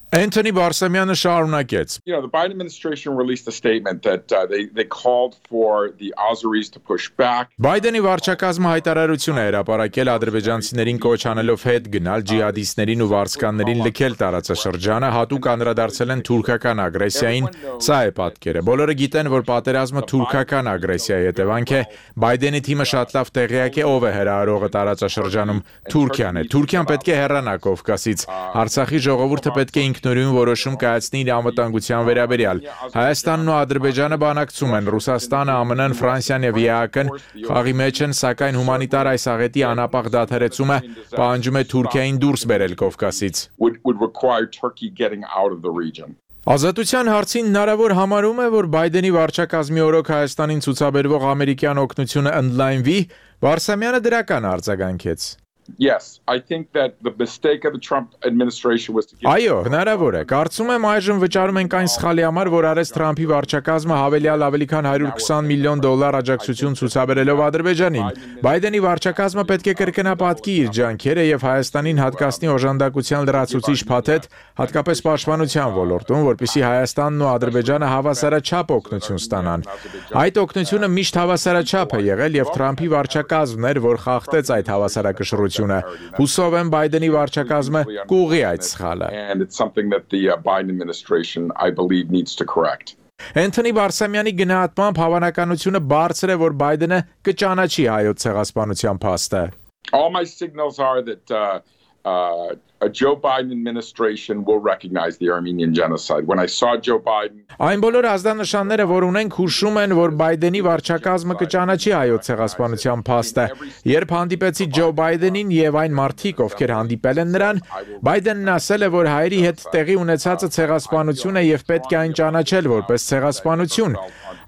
Էնթոնի Բարսամյանը շարունակեց. You know, the Biden administration released a statement that uh, they they called for the Azeris to push back. Բայդենի վարչակազմը հայտարարություն է հրապարակել ադրբեջանցիներին կոչ անելով հետ գնալ ջիհադիստներին ու վարձկաններին լքել տարածաշրջանը, հատուկ անդրադարձել են թուրքական ագրեսիային։ Սա է պատկերը։ Բոլորը գիտեն, որ պատերազմը թուրքական ագրեսիայի հետևանք է։ Բայդենի թիմը շատ լավ տեղյակ է ով է հրահրողը տարածաշրջանում։ Թուրքիան է։ Թուրքիան պետք է հեռանա Կովկասից։ Արցախի ժողովուրդը պետք է ինքնուրույն որոշում կայացնի իր անվտանգության վերաբերյալ։ Հայաստանն ու Ադրբեջանը բանակցում են, Ռուսաստանը, ԱՄՆ-ն, Ֆրանսիան եւ ԵԱՀ-ն խաղի մեջ են, սակայն հումանիտար այս աղետի անապաղ դադարեցումը պահանջում է Թուրքիային դուրս բերել Կովկասից։ Ազատության հարցին հնարավոր համարում է, որ Բայդենի վարչակազմի օրոք Հայաստանին ցուցաբերվող ամերիկյան օգնությունը ընդլայնվի, Վարսամյանը դրական արձագանքեց։ Yes, I think that the mistake of the Trump administration was to give Այո, հնարավոր է։ Կարծում եմ այժմ վճարում ենք այն սխալի համար, որ արեց Թրամփի վարչակազմը հավելյալ ավելի քան հարյուր քսան միլիոն դոլար աջակցություն ցուցաբերելով Ադրբեջանին։ Բայդենի վարչակազմը պետք է կրկնապատկի իր ջանքերը եւ Հայաստանին հատկացնի օժանդակության լրացուցիչ փաթեթ, հատկապես պաշտպանության ոլորտում, որպեսզի Հայաստանն ու Ադրբեջանը հավասարաչափ օգնություն ստանան։ Այդ օգնությունը միշտ հավասարաչափ է եղել եւ Թրամփի վարչակազմն էր, որ խախտեց այդ հավասարակշռությունը։ Հուսով եմ Բայդենի վարչակազմը կուղղի այդ սխալը։ And it's something that the uh, Biden administration I believe needs to correct. Էնթոնի Բարսամյանի գնահատմամբ հավանականությունը բարձր է, որ Բայդենը կճանաչի հայոց ցեղասպանության փաստը։ All my signals are that uh, uh, a Joe Biden administration will recognize the Armenian genocide. When I saw Joe Biden Այն բոլոր ազդանշանները, որ ունենք, հուշում են, որ Բայդենի վարչակազմը կճանաչի հայոց ցեղասպանության փաստը։ Երբ հանդիպեցի Ջո Բայդենին եւ այն մարդիկ, ովքեր հանդիպել են նրան, Բայդենն ասել է, որ հայերի հետ տեղի ունեցածը ցեղասպանություն է եւ պետք է այն ճանաչել որպես ցեղասպանություն։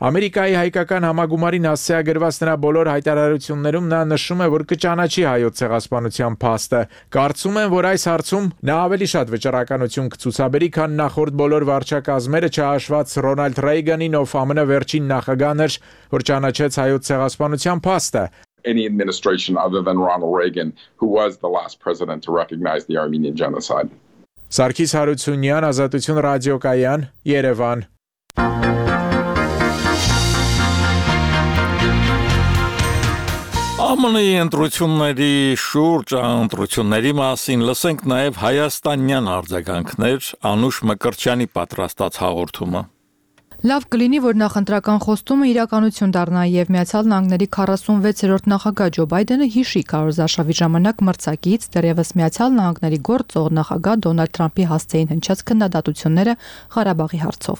Ամերիկայի հայկական համագումարին ասիագրված նրա բոլոր հայտարարություններում նա նշում է, որ կճանաչի հայոց ցեղասպանության փաստը։ Կարծում եմ, որ այս հարցում նա ավելի շատ վճռականություն կցուցաբերի, քան նախորդ բոլոր վարչակազմերը, չհաշված Ռոնալդ Ռեյգանին, ով ԱՄՆ վերջին նախագահն էր, որ ճանաչեց հայոց ցեղասպանության փաստը։ Any administration other than Ronald Reagan, who was the last president to recognize the Armenian genocide. Սարգիս Հարությունյան, Ազատություն ռադիոկայան, Երևան։ Ա Մ Ն-ի ընտրությունների շուրջ ընտրությունների մասին լսենք նաև հայաստանյան արձագանքներ, Անուշ Մկրտչյանի պատրաստած հաղորդումը։ Լավ կլինի, որ նախընտրական խոստումը իրականություն դառնա եւ Միացյալ Նահանգների քառասունվեցերորդ նախագահ Ջո Բայդենը հիշի քարոզարշավի ժամանակ մրցակից դեռևս Միացյալ Նահանգների գործող նախագահ Դոնալդ Թրամփի հասցեին հնչած քննադատությունները Ղարաբաղի հարցով։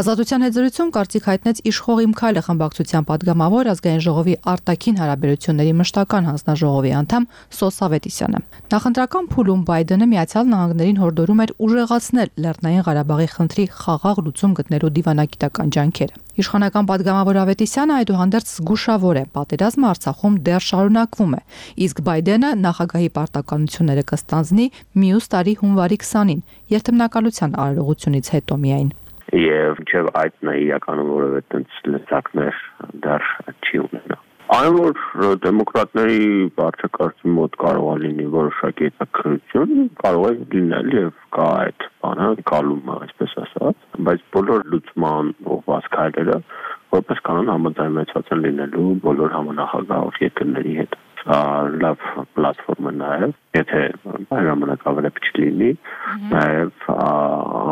Ազատության հետզրույցում կարծիք հայտնեց Իշխող Իմ Քայլը խմբակցության падգամավոր ազգային ժողովի արտաքին հարաբերությունների մշտական հանձնաժողովի անդամ Սոս Ավետիսյանը։ Նախընտրական փուլում Բայդենը Միացյալ Նահանգներին հորդորում էր ուժեղացնել Լեռնային Ղարաբաղի խնդրի խաղաղ լուծում գտնելու դիվանագիտական ջանքերը։ Իշխանական падգամավոր Ավետիսյանը այդուհանդերձ զգուշավոր է, պատերազմը Արցախում դեռ շարունակվում է, իսկ Բայդենը նախագահի պարտականությունները կստանձնի մյուս տարի հունվարի քսանին, երթմնակալության արարողությունից հետո միայն։ Եվ մինչև այդ նա իրականում որևէ տենց լծակներ դեռ չի ունենա։ Այն որ դեմոկրատների բարձրակարգի մոտ կարող է լինի որոշակի հետաքրքրություն, կարող է լինել եւ կա այդ բանը գալումը, այսպես ասած, բայց բոլոր լուծման ուղղված քայլերը որպես կանոն համաձայնեցված են լինելու բոլոր համանախագահ երկրների հետ։ Լավ պլատֆորմ է նաև, եթե ժամանակավերեփ չլինի, նաև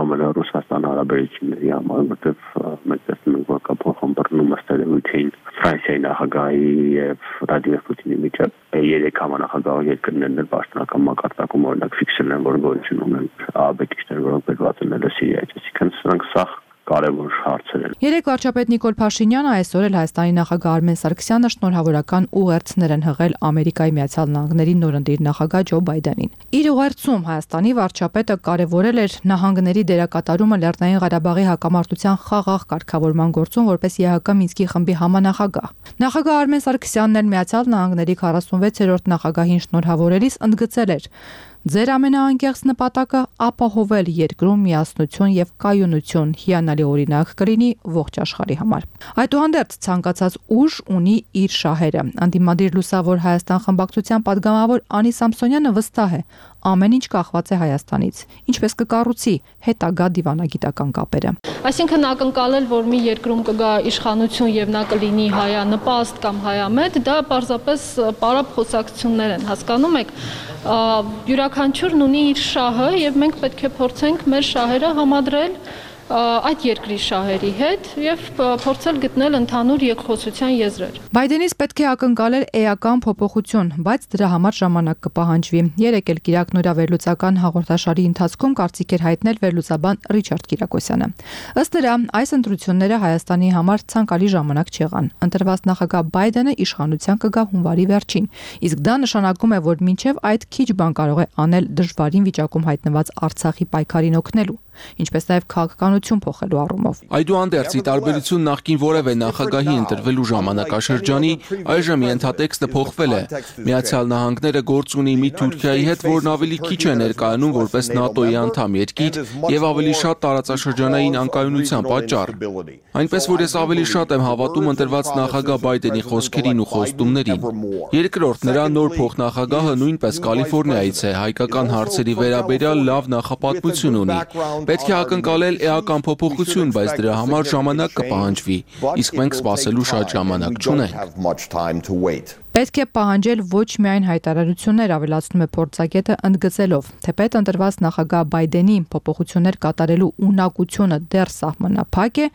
Ամերիկա-Ռուսաստան հարաբերությունների համար, որտեղ մենք տեսնում ենք, որ կա փոխհմբռնում ըստերեյթին Ֆրանսիայի նախագահի եւ Վլադիմիր Պուտինի միջեւ երեք համանախագահ երկրներն էլ պաշտոնական մակարդակում օրինակ ֆիքսել են, որ գոյություն ունեն աբեկիչներ, որոնք բերված են Սիրիայից, այսինքն սրանք սաղ կարևոր հարցեր են։ Երեք վարչապետ Նիկոլ Փաշինյանը այսօր էլ Հայաստանի նախագահ Արմեն Սարգսյանը շնորհավորական ուղերձներ են հղել Ամերիկայի Միացյալ Նահանգների նորընտիր նախագահ Ջո Բայդենին։ Իր ուղերձում Հայաստանի վարչապետը կարևորել էր նահանգների դերակատարումը Լեռնային Ղարաբաղի հակամարտության խաղաղ կարգավորման գործում որպես Է Հ Կ Մինսկի խմբի համանախագահ։ Նախագահ Արմեն Սարգսյանն էլ Միացյալ Նահանգների քառասունվեցերորդ նախագահին շնորհավորելիս ընդգծել էր. Ձեր ամենաանկեղծ նպատակը ապահովել երկրում միասնություն եւ կայունություն հիանալի օրինակ կլինի ողջ աշխարհի համար։ Այդուհանդերձ ցանկացած ուժ ունի իր շահերը։ Անդիմադիր լուսավոր Հայաստան խմբակցության падգամավոր Անի Սամսոնյանը վստահ է, ամեն ինչ կախված է Հայաստանից, ինչպես կկառուցի հետագա դիվանագիտական կապերը։ Այսինքն ակնկալել, որ մի երկրում կգա իշխանություն եւ նա կլինի հայանպաստ կամ հայամետ, դա պարզապես պարապ խոսակցություններ են, հասկանում եք, յուրաքանչյուրն ունի իր շահը եւ մենք պետք է փորձենք մեր շահերը համադրել այդ երկրի շահերի հետ եւ փորձել գտնել ընդհանուր երկխոսության եզրեր։ Բայդենից պետք է ակնկալել էական փոփոխություն, բայց դրա համար ժամանակ կպահանջվի։ Երեք էլ Կիրակ նորավերլուծական հաղորդաշարի ընթացքում կարծիք էր հայտնել վերլուծաբան Ռիչարդ Կիրակոսյանը։ Ըստ նրա, այս ընտրությունները Հայաստանի համար ցանկալի ժամանակ չեղան։ Ընտրված նախագահ Բայդենը իշխանության կգա հունվարի վերջին, իսկ դա նշանակում է, որ մինչև այդ քիչ բան կարող է անել դժվարին վիճակում հայտնված Արցախի պայքարին օգնելու, ինչպես նաև քաղաքականություն փոխելու առումով։ Այդուհանդերձ, ի տարբերություն նախկին որևէ նախագահի ընտրվելու ժամանակաշրջանի, այժմ ենթատեքստը փոխվել է։ Միացյալ Նահանգները գործ ունի մի Թուրքիայի հետ, որն ավելի քիչ է ներկայանում որպես ՆԱՏՕ-ի անդամ երկիր եւ ավելի շատ տարածաշրջանային անկայունության պատճառ։ Այնպես որ ես ավելի շատ եմ հավատում ընտրված նախագահ Բայդենի խոսքերին ու խոստումներին։ Երկրորդ, նրա նոր փոխնախագահը նույնպես Կալիֆոռնիայից է, հայկական հարցերի վերաբերյալ լավ նախապատմություն ունի։ Պետք է ակնկալել էական փոփոխություն, բայց դրա համար ժամանակ կպահանջվի, իսկ մենք սպասելու շատ ժամանակ չունենք։ Պետք է պահանջել ոչ միայն հայտարարություններ, ավելացնում է փորձագետը ընդգծելով, թեպետ ընտրված նախագահ Բայդենի փոփոխություններ կատարելու ունակությունը դեռ սահմանափակ է,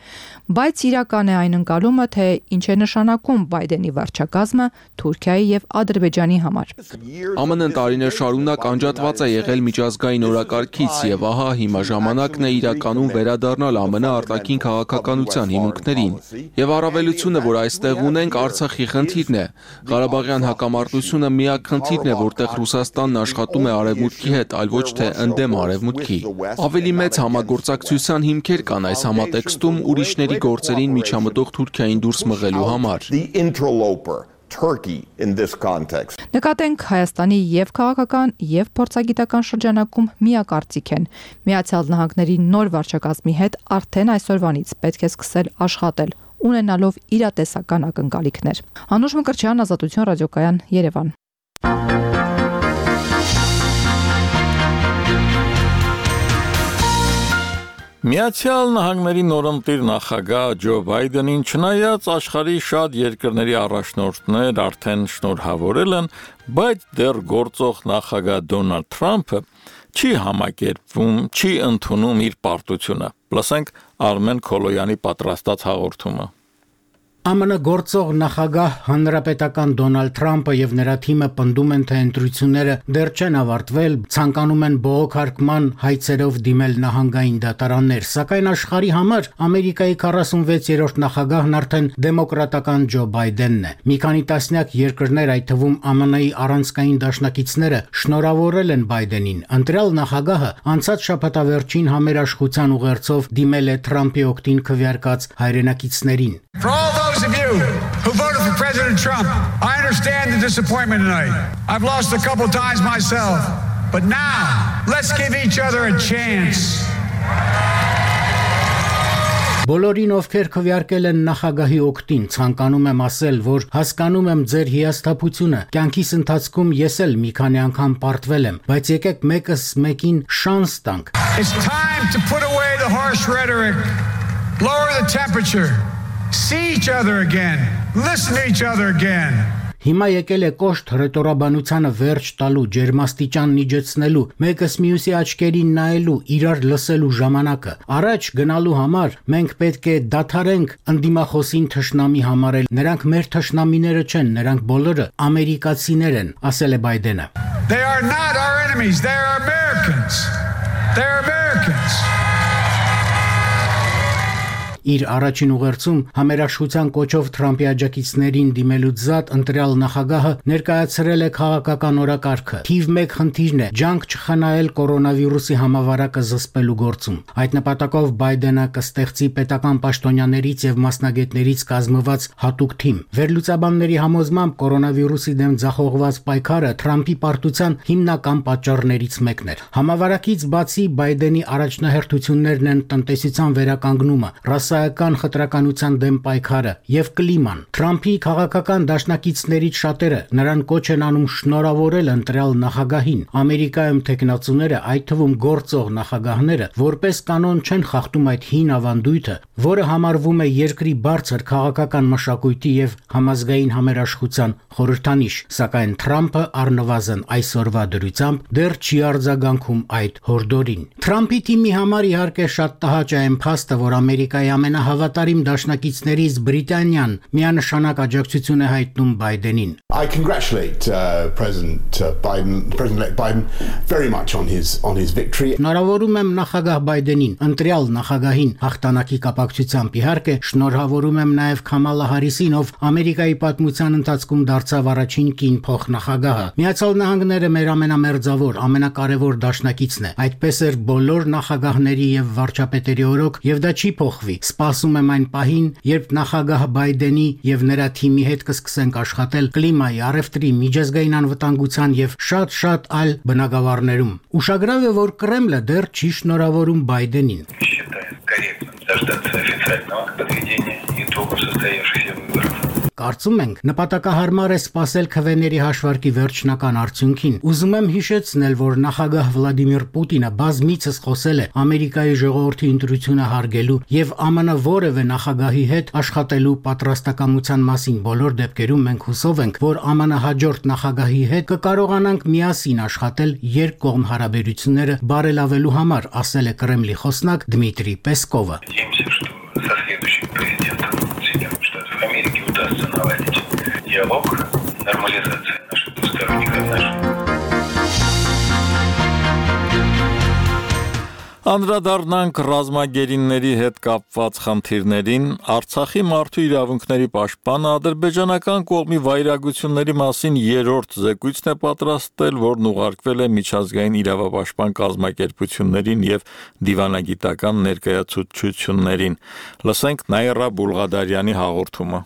բայց իրական է այն ընկալումը, թե ինչ է նշանակում Բայդենի վարչակազմը Թուրքիայի եւ Ադրբեջանի համար։ Է Մ Ն-ն տարիներ շարունակ անջատված է եղել միջազգային օրակարգից եւ ահա հիմա ժամանակն է իրականում վերադառնալ Է Մ Ն արտաքին քաղաքականության հիմունքներին։ Եվ առավելությունը, որ այստեղ ունենք, Արցախի խնդիրն է։ Ղարաբաղյան հակամարտությունը միակ խնդիրն է, որտեղ Ռուսաստանն աշխատում է Արևմուտքի հետ, այլ ոչ թե ընդդեմ Արևմուտքի։ Ավելի մեծ համագործակցության հիմքեր կան այս համատեքստում ուրիշների գործերին միջամտող Թուրքիային դուրս մղելու համար։ Turkey in this context. Նկատենք Հայաստանի եւ քաղաքական եւ փորձագիտական շրջանակում միակարծիք են։ Միացյալ Նահանգների նոր վարչակազմի հետ արդեն այսօրվանից պետք է սկսել աշխատել, ունենալով իրատեսական ակնկալիքներ։ Անուշ Մկրտչյան, Ազատություն ռադիոկայան, Երևան։ Միացյալ Նահանգների նորընտիր նախագահ Ջո Բայդենին չնայած աշխարհի շատ երկրների առաջնորդներ արդեն շնորհավորել են, բայց դեռ գործող նախագահ Դոնալդ Թրամփը չի համակերպվում, չի ընդունում իր պարտությունը։ Լսենք Արմեն Քոլոյանի պատրաստած հաղորդումը։ Է Մը գործող նախագահ հանրապետական Դոնալդ Թրամփը եւ նրա թիմը պնդում են, թե ընտրությունները դեռ չեն ավարտվել, ցանկանում են բողոքարկման հայցերով դիմել նահանգային դատարաններ, սակայն աշխարհի համար Ամերիկայի քառասունվեցերորդ նախագահն արդեն դեմոկրատական Ջո Բայդենն է։ Մի քանի տասնյակ երկրներ, այդ թվում Է Մը-ի առանցքային դաշնակիցները շնորհավորել են Բայդենին։ Ընտրյալ նախագահը անցած շաբաթավերջին համերաշխության ուղերձով դիմել է Թրամփի օգտին քվեարկած հայրենակիցներին։ Those of you who voted for President Trump, I understand the disappointment tonight. I've lost a couple times myself, but now let's give each other a chance. Բոլորին, ովքեր քվեարկել են նախագահի օգտին, ցանկանում եմ ասել, որ հասկանում եմ ձեր հիասթափությունը։ Կյանքիս ընթացքում ես էլ մի քանի անգամ պարտվել եմ, բայց եկեք մեկս մեկին շանս տանք։ It's time to put away the harsh rhetoric, lower the temperature. See each other again. Listen to each other again. Հիմա եկել է կոշտ հռետորաբանությանը վերջ տալու, ջերմաստիճան իջեցնելու, մեկս մյուսի աչքերին նայելու, իրար լսելու ժամանակը։ Առաջ գնալու համար մենք պետք է դադարենք ընդդիմախոսին թշնամի համարել։ Նրանք մեր թշնամիները չեն, նրանք բոլորը ամերիկացիներ են, ասել է Բայդենը։ They are not our enemies, they are Americans. They're Americans. Իր առաջին ուղերձում համերաշխության կոչով Թրամփի աջակիցներին դիմելուց զատ ընտրյալ նախագահը ներկայացրել է քաղաքական օրակարգը։ Թիվ մեկ խնդիրն է՝ ջանք չխնայել կորոնավիրուսի համավարակը զսպելու գործում։ Այդ նպատակով Բայդենը կստեղծի պետական պաշտոնյաներից եւ մասնագետներից կազմված հատուկ թիմ։ Վերլուծաբանների համոզմամբ կորոնավիրուսի դեմ ձախողված պայքարը Թրամփի պարտության հիմնական պատճառներից մեկն էր։ Համավարակից բացի Բայդենի առաջնահերթություններն են տնտեսության վերականգնումը, ռասայական խտրականության դեմ պայքարը եւ կլիման։ Թրամփի քաղաքական դաշնակիցներից շատերը նրան կոչ են անում շնորհավորել ընտրյալ նախագահին։ Ամերիկայում տեխնացուները, այդ թվում գործող նախագահները, որպես կանոն չեն խախտում այդ հին ավանդույթը, որը համարվում է երկրի բարձր քաղաքական մշակույթի եւ համազգային համերաշխության խորհրդանիշ, սակայն Թրամփը առնվազն այսօրվա դրությամբ դեռ չի արձագանքում այդ հորդորին։ Թրամփի թիմի համար իհարկե շատ տհաճ է այն փաստը, որ Ամերիկայի ամենահավատարիմ դաշնակիցներից Բրիտանիան միանշանակ աջակցություն է հայտնում Բայդենին։ I congratulate uh, President uh, Biden, President-elect Biden very much on his on his victory. Շնորհավորում եմ նախագահ Բայդենին, ընտրյալ նախագահին հաղթանակի կապակցությամբ, իհարկե շնորհավորում եմ նաև Քամալա Հարիսին, ով Ամերիկայի պատմության ընթացքում դարձավ առաջին կին փոխնախագահը։ Միացյալ Նահանգները մեր ամենամերձավոր, ամենակարևոր դաշնակիցն է։ Այդպես էր բոլոր նախագահների եւ վարչապետերի օրոք, եւ դա չի փոխվի։ Սպասում եմ այն պահին, երբ նախագահ Բայդենի եւ նրա թիմի հետ կսկսենք աշխատել կլիմայի, առևտրի, միջազգային անվտանգության եւ շատ-շատ այլ բնագավառներում։ Ուշագրավ է, որ Կրեմլը դեռ չի շնորհավորում Բայդենին։ Дождаться официального подведения итогов состоявшихся выборов. Կարծում ենք նպատակահարմար է սպասել քվեների հաշվարկի վերջնական արդյունքին։ Ուզում եմ հիշեցնել, որ նախագահ Վլադիմիր Պուտինը բազմիցս խոսել է Ամերիկայի ժողովրդի ընտրությունը հարգելու եւ ԱՄՆ որևէ նախագահի հետ աշխատելու պատրաստակամության մասին։ Բոլոր դեպքերում մենք հուսով ենք, որ ԱՄՆ հաջորդ նախագահի հետ կկարողանանք միասին աշխատել երկկողմ հարաբերությունները բարելավելու համար, ասել է Կրեմլի խոսնակ Դմիտրի Պեսկովը։ Со следующим президентом Соединенных Штатов Америки удастся наладить диалог, нормализация наших двусторонних отношений. Անդրադառնանք ռազմագերիների հետ կապված խնդիրներին, Արցախի մարդու իրավունքների պաշտպանը ադրբեջանական կողմի վայրագությունների մասին երրորդ զեկույցն է պատրաստել, որն ուղարկվել է միջազգային իրավապաշտպան կազմակերպություններին եւ դիվանագիտական ներկայացուցչություններին։ Լսենք Նայրա Բուլղադարյանի հաղորդումը։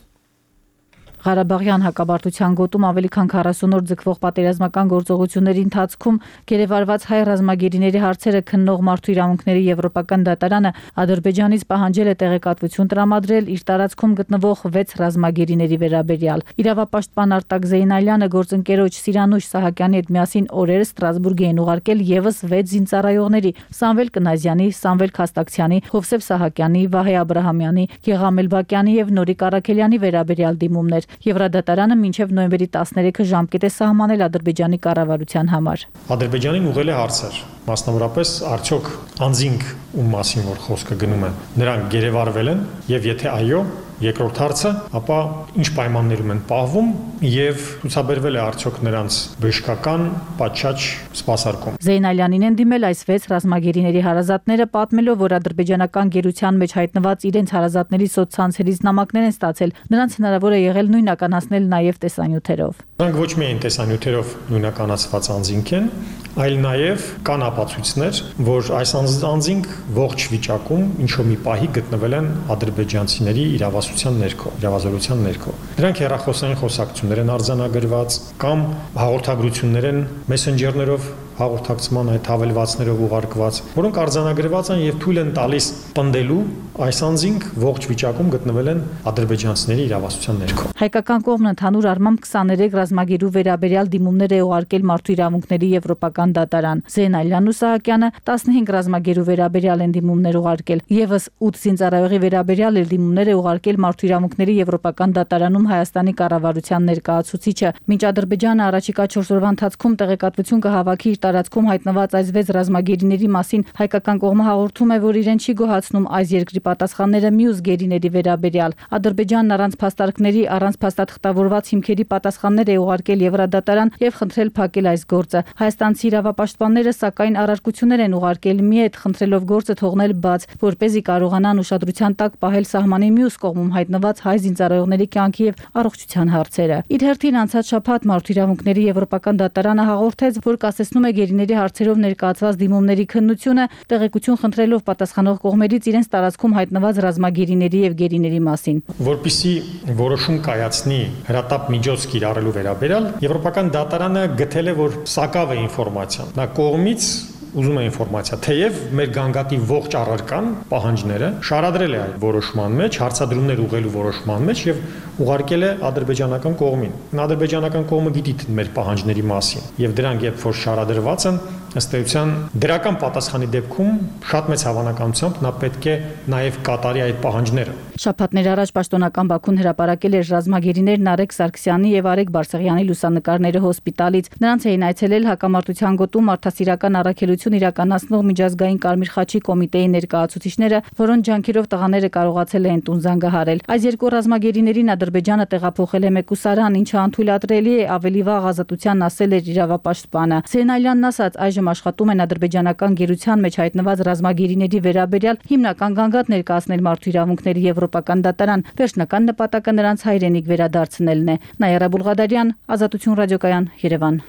Ղարաբաղյան հակամարտության գոտում ավելի քան քառասուն օր ձգվող պատերազմական գործողությունների ընթացքում գերեվարված հայ ռազմագերիների հարցերը քննող Մարդու իրավունքների եվրոպական դատարանը Ադրբեջանից պահանջել է տեղեկատվություն տրամադրել իր տարածքում գտնվող վեց ռազմագերիների վերաբերյալ։ Իրավապաշտպան Արտակ Զեյնալյանը գործընկերոջ Սիրանուշ Սահակյանի հետ միասին օրերս Ստրասբուրգ էին ուղարկել եւս վեց զինծառայողների՝ Սամվել Կնազյանի, Սամվել Քաստակցյանի, Հովսեփ Սահակյանի, Վահե Աբրահամյանի, Գեգամել Բակյանի եւ Նորիկ Արաքելյանի վերաբերյալ դիմումներ։ Եվրադատարանը մինչև նոյեմբերի տասներեքը ժամկետ է սահմանել Ադրբեջանի կառավարության համար։ Ադրբեջանին ուղղել է հարցեր, մասնավորապես արդյոք անձինք ում մասին որ խոսքը գնում է, նրանք գերեվարվել են եւ եթե այո, երկրորդ հարցը, ապա ինչ պայմաններում են պահվում եւ ցուցաբերվել է արդյոք նրանց բժշկական պատշաճ սպասարկում։ Զեյնալյանին են դիմել այս վեց ռազմագերիների հարազատները, պատմելով, որ ադրբեջանական գերության մեջ հայտնված իրենց հարազատների սոցցանցերից նամակներ են ստացել, նրանց հնարավոր է եղել նույնականացնել նաեւ տեսանյութերով։ Նրանք ոչ միայն տեսանյութերով նույնականացված անձինք են, այլ նաեւ կան ապացույցներ, որ այս անձինք ողջ վիճակում ինչ-որ մի պահի գտնվել են ադրբեջանցիների իրավասության ներքո, իրավազորության ներքո։ Դրանք հեռախոսային խոսակցություններ են արձանագրված կամ հաղորդագրություններ են մեսենջերներով հաղորդակցման այդ հավելվածներով ուղարկված, որոնք արձանագրված են եւ թույլ են տալիս պնդելու այս անձինք ողջ վիճակում գտնվել են ադրբեջանցիների իրավասության ներքո։ Հայկական կողմն ընդհանուր առմամբ քսաներեք ռազմագերու վերաբերյալ դիմումներ է ուղարկել Մարդու իրավունքների եվրոպական դատարան։ Զեյնալյանն ու Սահակյանը տասնհինգ ռազմագերու վերաբերյալ են դիմումներ ուղարկել։ Եվս ութ զինծառայողի վերաբերյալ էլ դիմումներ է ուղարկել Մարդու իրավունքների եվրոպական դատարանում Հայաստանի կառավարության ներկայացուցիչը։ Մինչ Ադրբեջանը առաջիկա չորս օրվա ընթացքում տեղեկատվություն կհավաքի իր տարածքում հայտնված այս վեց ռազմագերիների մասին, հայկական կողմը հաղորդում է, որ իրեն չի գոհացնում այս երկրի պատասխանները մյուս գերիների վերաբերյալ։ Ադրբեջանն առանց փաստարկների, առանց փաստաթղթավորված հիմքերի պատասխաններ է ուղարկել Եվրադատարան եւ խնդրել փակել այս գործը։ Հայաստանցի իրավապաշտպանները սակայն առարկություններ են ուղարկել մի հետ, խնդրելով գործը թողնել բաց, որպեսզի կարողանան ուշադրության տակ պահել սահմանի մյուս կողմում հայտնված հայ զինծառայողների կյանքի եւ առողջության հարցերը։ Իր հերթին անցած շաբաթ Մարդու իրավունքների եվրոպական դատարանը հաղորդեց, որ կասեցնում է գերիների հարցերով ներկայացված դիմումների քննությունը, տեղեկություն խնդրելով պատասխանող կողմերից իրենց տարածքում հայտնված ռազմագերիների եւ գերիների մասին։ Որպեսզի որոշում կայացնի հրատապ միջոց կիրառելու վերաբերյալ, Եվրոպական դատարանը գտել է, որ սակավ է ինֆորմացիան։ Նա կողմից ուզում է ինֆորմացիա, թեև մեր գանգատի ողջ առարկան պահանջները շարադրել է այդ որոշման մեջ, հարցադրումներ ուղղելու որոշման մեջ եւ ուղարկել է ադրբեջանական կողմին։ Ադրբեջանական կողմը գիտի մեր պահանջների մասին եւ դրանք երբ որ շարադրված են, ըստ էության դրական պատասխանի դեպքում շատ մեծ հավանականությամբ նա պետք է նաեւ կատարի այդ պահանջները։ Շաբաթներ առաջ պաշտոնական Բաքուն հրապարակել էր ռազմագերիներն Արեգ Սարգսյանի եւ Արեգ Բարսեղյանի լուսանկարները հոսպիտալից։ Նրանց էին այցելել հակամարտության գոտում մարդասիրական առաքելություն իրականացնող միջազգային Կարմիր խաչի կոմիտեի ներկայացուցիչները, որոնց ջանքերով տղաները կարողացել են տուն զանգահարել։ Այս երկու ռազմագերիներին Ադրբեջանը տեղափոխել է մեկուսարան, ինչը անթույլատրելի է, ավելի վաղ ազատության ասել էր իրավապաշտպանը։ Զեյնալյանն ասաց, այժմ աշխատում են ադրբեջանական գերության մեջ հայտնված ռազմագերիների վերաբերյալ հիմնական գանգատ ներկայացնել Մարդու իրավունքների եվրոպական դատարան, վերջնական նպատակը նրանց հայրենիք վերադարձնելն է։ Նաիրա Բուլղադարյան, Ազատություն ռադիոկայան, Երևան։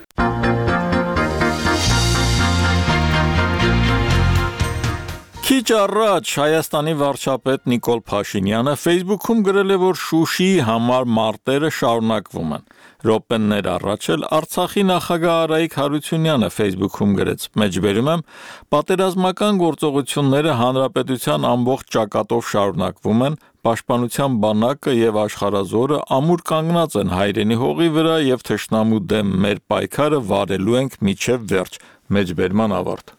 Քիչ առաջ Հայաստանի վարչապետ Նիկոլ Փաշինյանը Facebook-ում գրել է, որ Շուշիի համար մարտերը շարունակվում են։ Րոպեներ առաջ էլ Արցախի նախագահ Արայիկ Հարությունյանը Facebook-ում գրեց. «Մեջբերում եմ, պատերազմական գործողությունները հանրապետության ամբողջ ճակատով շարունակվում են, պաշտպանության բանակը եւ աշխարհազորը ամուր կանգնած են հայրենի հողի վրա եւ թշնամու դեմ մեր պայքարը վարելու ենք մինչեւ վերջ»։ Մեջբերման ավարտ։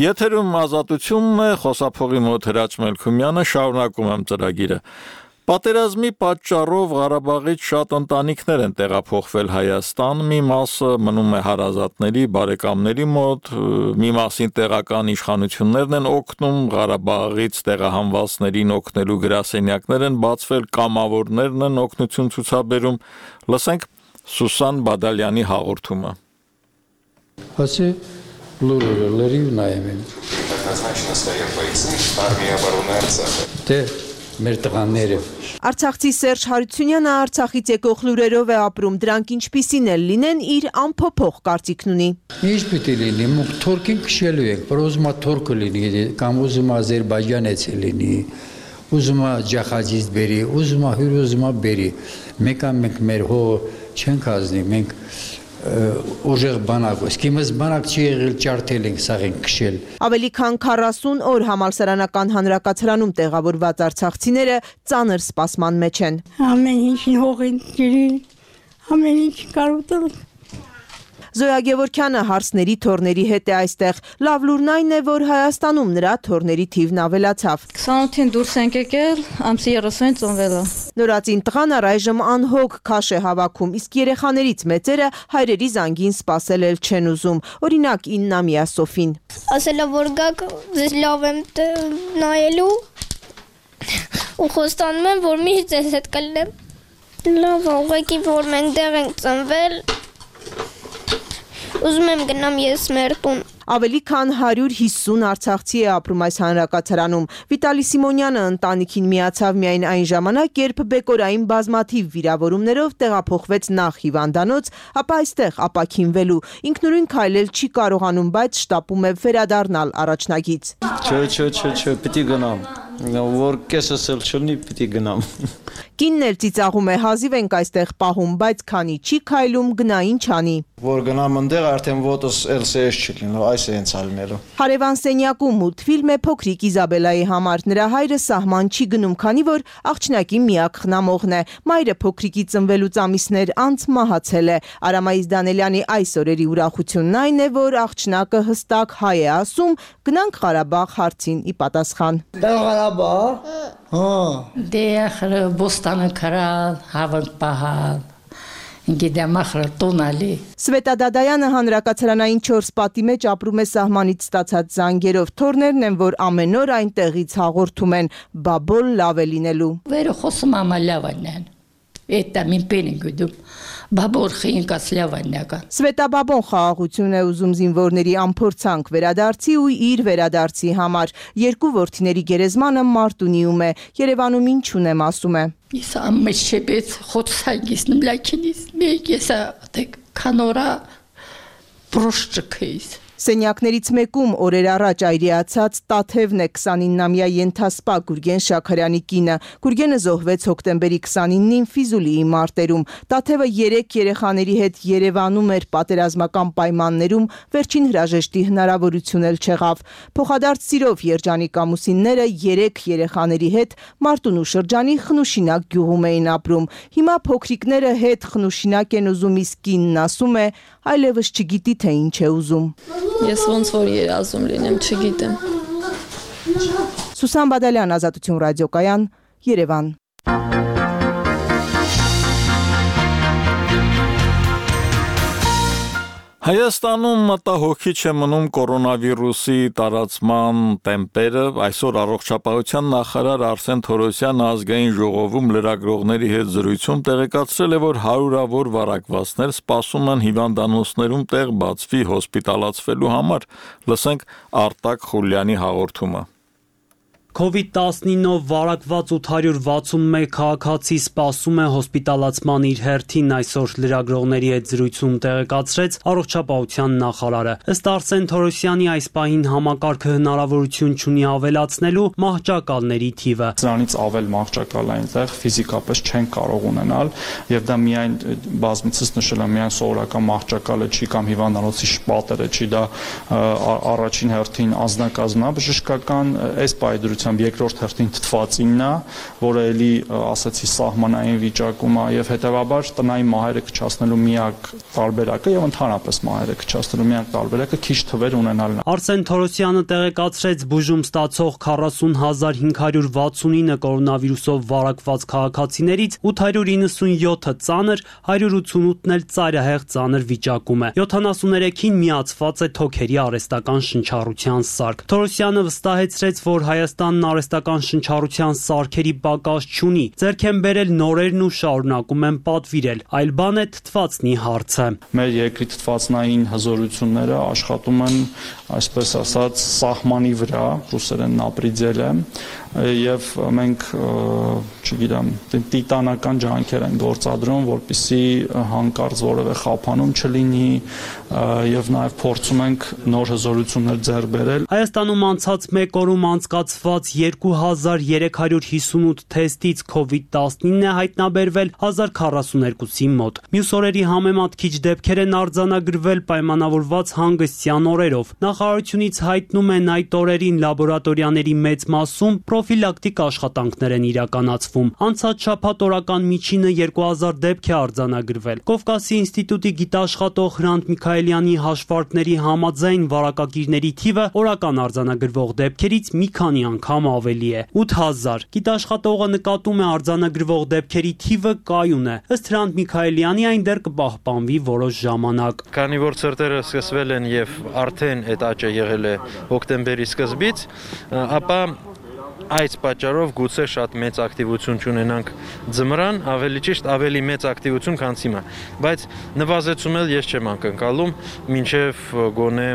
Եթերում Ազատությունն է, խոսափողի մոտ Հրաչ Մելքումյանը, շարունակում եմ ծրագիրը։ Պատերազմի պատճառով Ղարաբաղից շատ ընտանիքներ են տեղափոխվել Հայաստան, մի մասը մնում է հարազատների, բարեկամների մոտ, մի մասին տեղական իշխանություններն են օգնում, Ղարաբաղից տեղահանվածներին օգնելու գրասենյակներ են բացվել, կամավորներն են օգնություն ցուցաբերում։ Լսենք Սուսան Բադալյանի հաղորդումը։ Ասի Լուրը լրիվ նայեմ եմ։ Однозначно стоят бойцы армии обороны Арцаха. Դե մեր տղաները։ Արցախցի Սերժ Հարությունյանը Արցախից եկող լուրերով է ապրում, դրանք ինչպիսին էլ լինեն, իր ամփոփող կարծիքն ունի։ Ինչ պիտի լինի, մենք թուրքին քշելու ենք, որ ուզում է թուրքը լինի, կամ ուզում է Ադրբեջանից լինի, ուզում է ջախաջից բերի, ուզում է հյուր ուզում է բերի։ Մենք մենք մեր հո չենք ազնի, մենք ուժեղ բանակ, իսկ իմս բանակ չի եղել ջարդել ենք, սաղ ենք քշել։ Ավելի քան քառասուն օր համալսարանական հանրակացարանում տեղավորված արցախցիները ծանր սպասման մեջ են։ Ամեն ինչին հողին ջրի, ամեն ինչ կարոտել։ Զոյա Գևորգյանը հարցների թորների հետ է այստեղ։ Լավ լուրն այն է, որ Հայաստանում նրա թորների թիվն ավելացավ։ քսանութին դուրս ենք եկել, ամսի երեսունին ծնվել է։ Նորածին տղան առայժմ անհոգ քաշ է հավաքում, իսկ երեխաներից մեծերը հայրերի զանգին սպասել էլ չեն ուզում։ Օրինակ իննամյա Սոֆին։ Ասել է, որ գաք ձեզ լավ եմ նայելու ու խոստանում եմ, որ միշտ ձեզ հետ կլինեմ։ Լավ, ուղղակի որ մենք դեղ ենք ծնվել, ուզում եմ գնամ ես մեր տուն։ Ավելի քան հարյուր հիսուն արցախցի է ապրում այս հանրակացարանում։ Վիտալի Սիմոնյանը ընտանիքին միացավ միայն այն ժամանակ, երբ բեկորային բազմաթիվ վիրավորումներով տեղափոխվեց նախ հիվանդանոց, ապա այստեղ ապաքինվելու։ Ինքնուրույն քայլել չի կարողանում, բայց շտապում է վերադառնալ առաջնագից։ Չէ, չէ, չէ, չէ, պիտի գնամ։ Որ կեսս էլ չլինի, պիտի գնամ։ Կինն էլ ծիծաղում է, հազիվ ենք այստեղ պահում, բայց քանի չի քայլում, գնա ինչ անի։ Որ գնամ ընդեղ արդեն ոտս էլ սեշ չլինի, այս է հենց ալնելու։ Հարևան սենյակում մուլտֆիլմ է փոքրիկ Իզաբելայի համար։ Նրա հայրը սահման չի գնում, քանի որ աղջնակի միակ խնամողն է։ Մայրը փոքրիկի ծնվելուց ամիսներ անց մահացել է։ Արամայիս Դանելյանի այս օրերի ուրախությունն այն է, որ աղջնակը հստակ հայ է ասում, գնանք Ղարաբաղ հարցին ի պատասխան։ Ղարաբաղ։ Հա։ Դե բոստանը քրալ, հավանք պահալ։ Սվետա Դադայանը հանրակացարանային չորս պատի մեջ ապրում է սահմանից ստացած զանգերով։ Թորներն են, որ ամեն օր այնտեղից հաղորդում են, բաբոլ լավ է լինելու։ Վերը խոսում ամա լավ անեն, էտա մին պեն են գուդում, բաբոր խինկաս լավ անյական։ Սվետա բաբոն խաղաղություն է ուզում զինվորների ամփորձանք վերադարձի ու իր վերադարձի համար։ Երկու որդիների գերեզմանը Մարտունիում է, Երևանում ինչ ունեմ ասում է։ Ես ամեն շեպեց խոցսագիս նմլակինիս, մեկ եսա կանորա պրոշճկեիս։ Սենյակներից մեկում օրեր առաջ այրիացած Տաթևն է քսանիննամյա ենթասպա Գուրգեն Շաքարյանի կինը։ Գուրգենը զոհվեց հոկտեմբերի քսանինին Ֆիզուլիի մարտերում։ Տաթևը երեք երեխաների հետ Երևանում էր պատերազմական պայմաններում, վերջին հրաժեշտի հնարավորություն էլ չեղավ։ Փոխադարձ սիրով երջանիկ ամուսինները երեք երեխաների հետ Մարտունու շրջանի Խնուշինակ գյուղում էին ապրում։ Հիմա փոքրիկները հետ Խնուշինակ են ուզում, իսկ կինն ասում է, այլևս չգիտի թե ինչ է ուզում։ Ես ոնց որ երազում լինեմ, չգիտեմ։ Սուսան Բադալյան, Ազատություն ռադիոկայան, Երևան։ Հայաստանում մտահոգիչ է մնում կորոնավիրուսի տարածման տեմպերը։ Այսօր առողջապահության նախարար Արսեն Թորոսյանը ազգային ժողովում լրագրողների հետ զրույցում տեղեկացրել է, որ հարյուրավոր վարակվածներ սպասում են հիվանդանոցներում տեղ բացվի հոսպիտալացվելու համար։ Լսենք Արտակ Խուլյանի հաղորդումը։ Կովիդ տասնինով վարակված ութ հարյուր վաթսուն մեկ քաղաքացի սպասում է հոսպիտալացման իր հերթին, այսօր լրագրողների հետ զրույցում տեղեկացրեց առողջապահության նախարարը։ Ըստ Արսեն Թորոսյանի այս պահին համակարգը հնարավորություն չունի ավելացնելու մահճակալների թիվը։ Դրանից ավել մահճակալ այնտեղ ֆիզիկապես չեն կարող ունենալ, եւ դա միայն բազմիցս նշել եմ, միայն սովորական մահճակալը չի կամ հիվանդանոցի շպատերը չի, դա առաջին հերթին անձնակազմաբժշկական այս պայդրությամբ երկրորդ հերթին թթվածինն է, որը էլի ասացի սահմանային վիճակում է եւ հետեւաբար տնային մահերը կչացնելու միակ տարբերակը եւ ընդհանրապես մահերը կչացնելու միակ տարբերակը քիչ թվեր ունենալն է։ Արսեն Թորոսյանը տեղեկացրեց բուժում ստացող քառասուն հազար հինգ հարյուր վաթսունինը կորոնավիրուսով վարակված քաղաքացիներից ութ հարյուր իննսունյոթը ծանր, հարյուր ութսունութն էլ ծայրահեղ ծանր վիճակում է։ յոթանասուներեքին միացված է թոքերի արհեստական շնչառության սարք։ Թորոսյանը վստահեցրեց, որ Հայաստան Հայաստանն արհեստական շնչառության սարքերի պակաս չունի, ձեռք են բերել նորերն ու շարունակում են պատվիրել, այլ բան է թթվածնի հարցը։ Մեր երկրի թթվածնային հզորությունները աշխատում են, այսպես ասած, սահմանի վրա, ռուսերեն ապրիձել է, եւ մենք, չգիտեմ, տիտանական ջանքեր են գործադրում, որպեսզի հանկարծ որևէ խափանում չլինի եւ նաեւ փորձում ենք նոր հզորություններ ձեռք բերել։ Հայաստանում անցած մեկ օրում անցկացված երկու հազար երեք հարյուր հիսունութ թեստից քովիդ տասնինը է հայտնաբերվել հազար քառասուներկուսի մոտ։ Մյուս օրերի համեմատ քիչ դեպքեր են արձանագրվել պայմանավորված հանգստյան օրերով։ Նախարարությունից հայտնում են այդ օրերին լաբորատորիաների մեծ մասում պրոֆիլակտիկ աշխատանքներ են իրականացվում։ Անցած շաբաթ օրական միջինը երկու հազար դեպք է արձանագրվել։ Կովկասի ինստիտուտի գիտաշխատող Հրանտ Միքայելյանի հաշվարկների համաձայն վարակագիրների թիվը օրական արձանագրվող դեպքերից մի քանի անգամ ավելի է՝ ութ հազար։ Գիտաշխատողը նկատում է արձանագրվող դեպքերի թիվը կայուն է։ Ըստ Հրանտ Միքայելյանի այն դեռ կպահպանվի որոշ ժամանակ։ Քանի որ ցրտերը սկսվել են եւ արդեն այդ աճը եղել է հոկտեմբերի սկզբից, ապա այս պատճառով գուցե շատ մեծ ակտիվություն չունենանք ձմռան, ավելի ճիշտ ավելի մեծ ակտիվություն, քան հիմա, բայց նվազեցում էլ ես չեմ անկնկալում, մինչև գոնե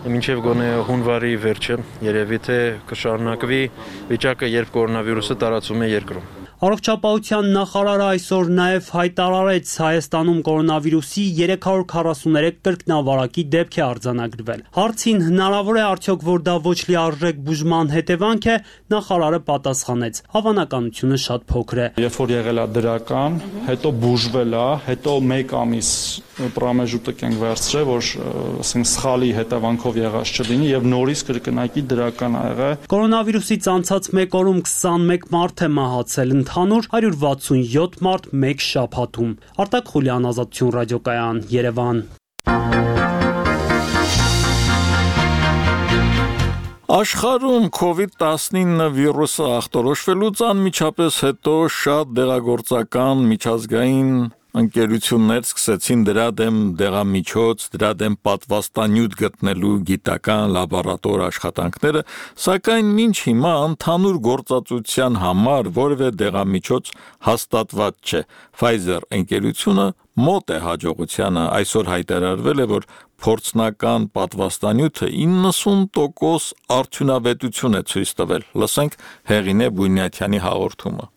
մինչև գոնե հունվարի վերջը, երևի թե կշարունակվի վիճակը, երբ կորոնավիրուսը տարածվում է երկրում։ Առողջապահության նախարարը այսօր նաև հայտարարեց Հայաստանում կորոնավիրուսի երեք հարյուր քառասուներեք կրկնավարակի դեպք է արձանագրվել։ Հարցին հնարավոր է արդյոք որ դա ոչ լիարժեք բուժման հետևանք է, նախարարը պատասխանեց. հավանականությունը շատ փոքր է։ Երբ որ եղել է դրական, հետո բուժվել է, հետո մեկ ամիս պրամեժուտը կենք վերցրել, որ ասենք սխալի հետևանքով եղած չլինի եւ նորից կրկնակի դրական ա եղել։ Կորոնավիրուսից անցած մեկ օրում քսանմեկ մարդ է մահացել, ընդհանուր հարյուր վաթսունյոթ մարդ մեկ շաբաթում։ Արտակ Խուլյան, Ազատություն ռադիոկայան, Երևան։ Աշխարհում քովիդ տասնինը վիրուսը ախտորոշվելուց անմիջապես հետո շատ դեղագործական միջազգային ընկերություններ սկսեցին դրա դեմ դեղամիջոց, դրա դեմ պատվաստանյութ գտնելու գիտական լաբորատոր աշխատանքները, սակայն մինչ հիմա ընդհանուր գործածության համար որևէ դեղամիջոց հաստատված չէ։ Pfizer ընկերությունը մոտ է հաջողությանը, այսօր հայտարարվել է, որ փորձնական պատվաստանյութը իննսուն տոկոս արդյունավետություն է ցույց տվել։ Լսենք Հեղինե Բույնյաթյանի հաղորդումը։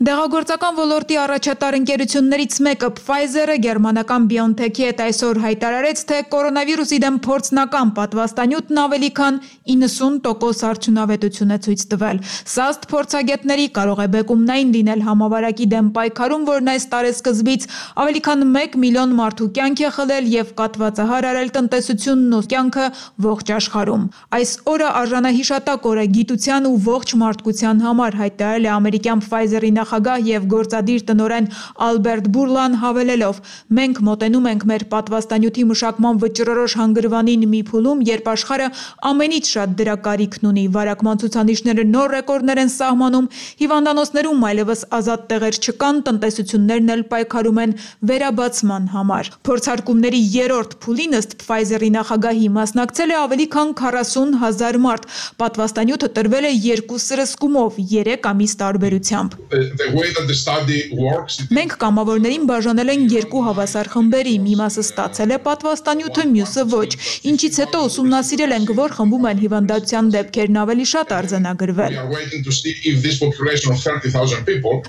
Դեղագործական ոլորտի առաջատար ընկերություններից մեկը Pfizer-ը գերմանական BioNTech-ի հետ այսօր հայտարարեց, թե կորոնավիրուսի դեմ փորձնական պատվաստանյութն ավելի քան իննսուն տոկոս արդյունավետություն է ցույց տվել։ Սա ըստ փորձագետների կարող է բեկումնային լինել համավարակի դեմ պայքարում, որն այս տարեսկզբից ավելի քան մեկ միլիոն մարդու կյանք է խլել եւ կատվածահար արել տնտեսությունն ու կյանքը ողջ աշխարհում։ Այս օրը արժանահիշատակ օր է գիտության ու ողջ մարդկության համար, հայտարարել է ամերիկյան Pfizer-ի նախագահ եւ գործադիր տնօրեն Ալբերտ Բուրլան հավելելով. մենք մոտենում ենք մեր պատվաստանյութի մշակման վճռորոշ հանգրվանին մի փուլում, երբ աշխարհը ամենից շատ դրա կարիքն ունի։ Վարակման ցուցանիշները նոր ռեկորդներ են սահմանում, հիվանդանոցներում այլևս ազատ տեղեր չկան, տնտեսություններն էլ պայքարում են վերաբացման համար։ Փորձարկումների երրորդ փուլին ըստ Pfizer-ի նախագահի մասնակցել է ավելի քան քառասուն հազար մարդ։ Պատվաստանյութը տրվել է երկու սրսկումով, երեք ամիս տարբերությամբ։ Մենք կամավորներին բաժանել են երկու հավասար խմբերի, մի մասը ստացել է պատվաստանյութը, մյուսը ոչ, ինչից հետո ուսումնասիրել ենք, որ խմբում են հիվանդության դեպքերն ավելի շատ արձանագրվել։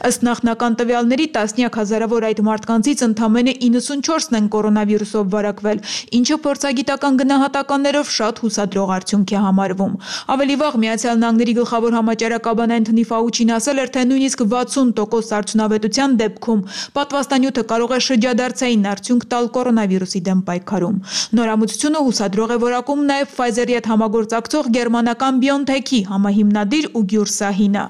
Ըստ նախնական տվյալների տասնյակ հազարավոր այդ մարդկանցից ընդամենը իննսունչորսն են կորոնավիրուսով վարակվել, ինչը փորձագիտական գնահատականներով շատ հուսադրող արդյունք է համարվում։ Ավելի վաղ Միացյալ Նահանգների գլխավոր համաճարակաբան Էնթոնի Ֆաուչին ասել էր, թե նույնիսկ վաթսուն տոկոս արդյունավետության դեպքում պատվաստանյութը կարող է շրջադարձային արդյունք տալ կորոնավիրուսի դեմ պայքարում։ Նորամուծությունը հուսադրող է որակում նաև Pfizer-ի հետ համագործակցող գերմանական BioNTech-ի համահիմնադիր Ուգյուր Սահինը։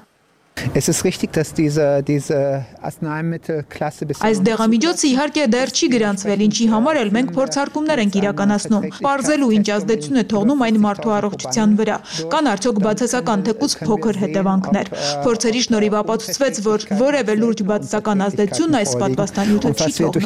Es ist richtig, dass diese, diese Arzneimittelklasse bis Այս դեղամիջոցը իհարկե դեռ չի գրանցվել, ինչի համար էլ մենք փորձարկումներ ենք իրականացնում։ Պարզելու ինչ ազդեցություն է թողնում այն մարդու առողջության վրա։ Կան արդյոք բացասական թեկուզ փոքր հետևանքներ։ Փորձերի շնորհիվ ապացուցվեց, որ որևէ լուրջ բացասական ազդեցություն այս պատվաստանյութը չի թողնում։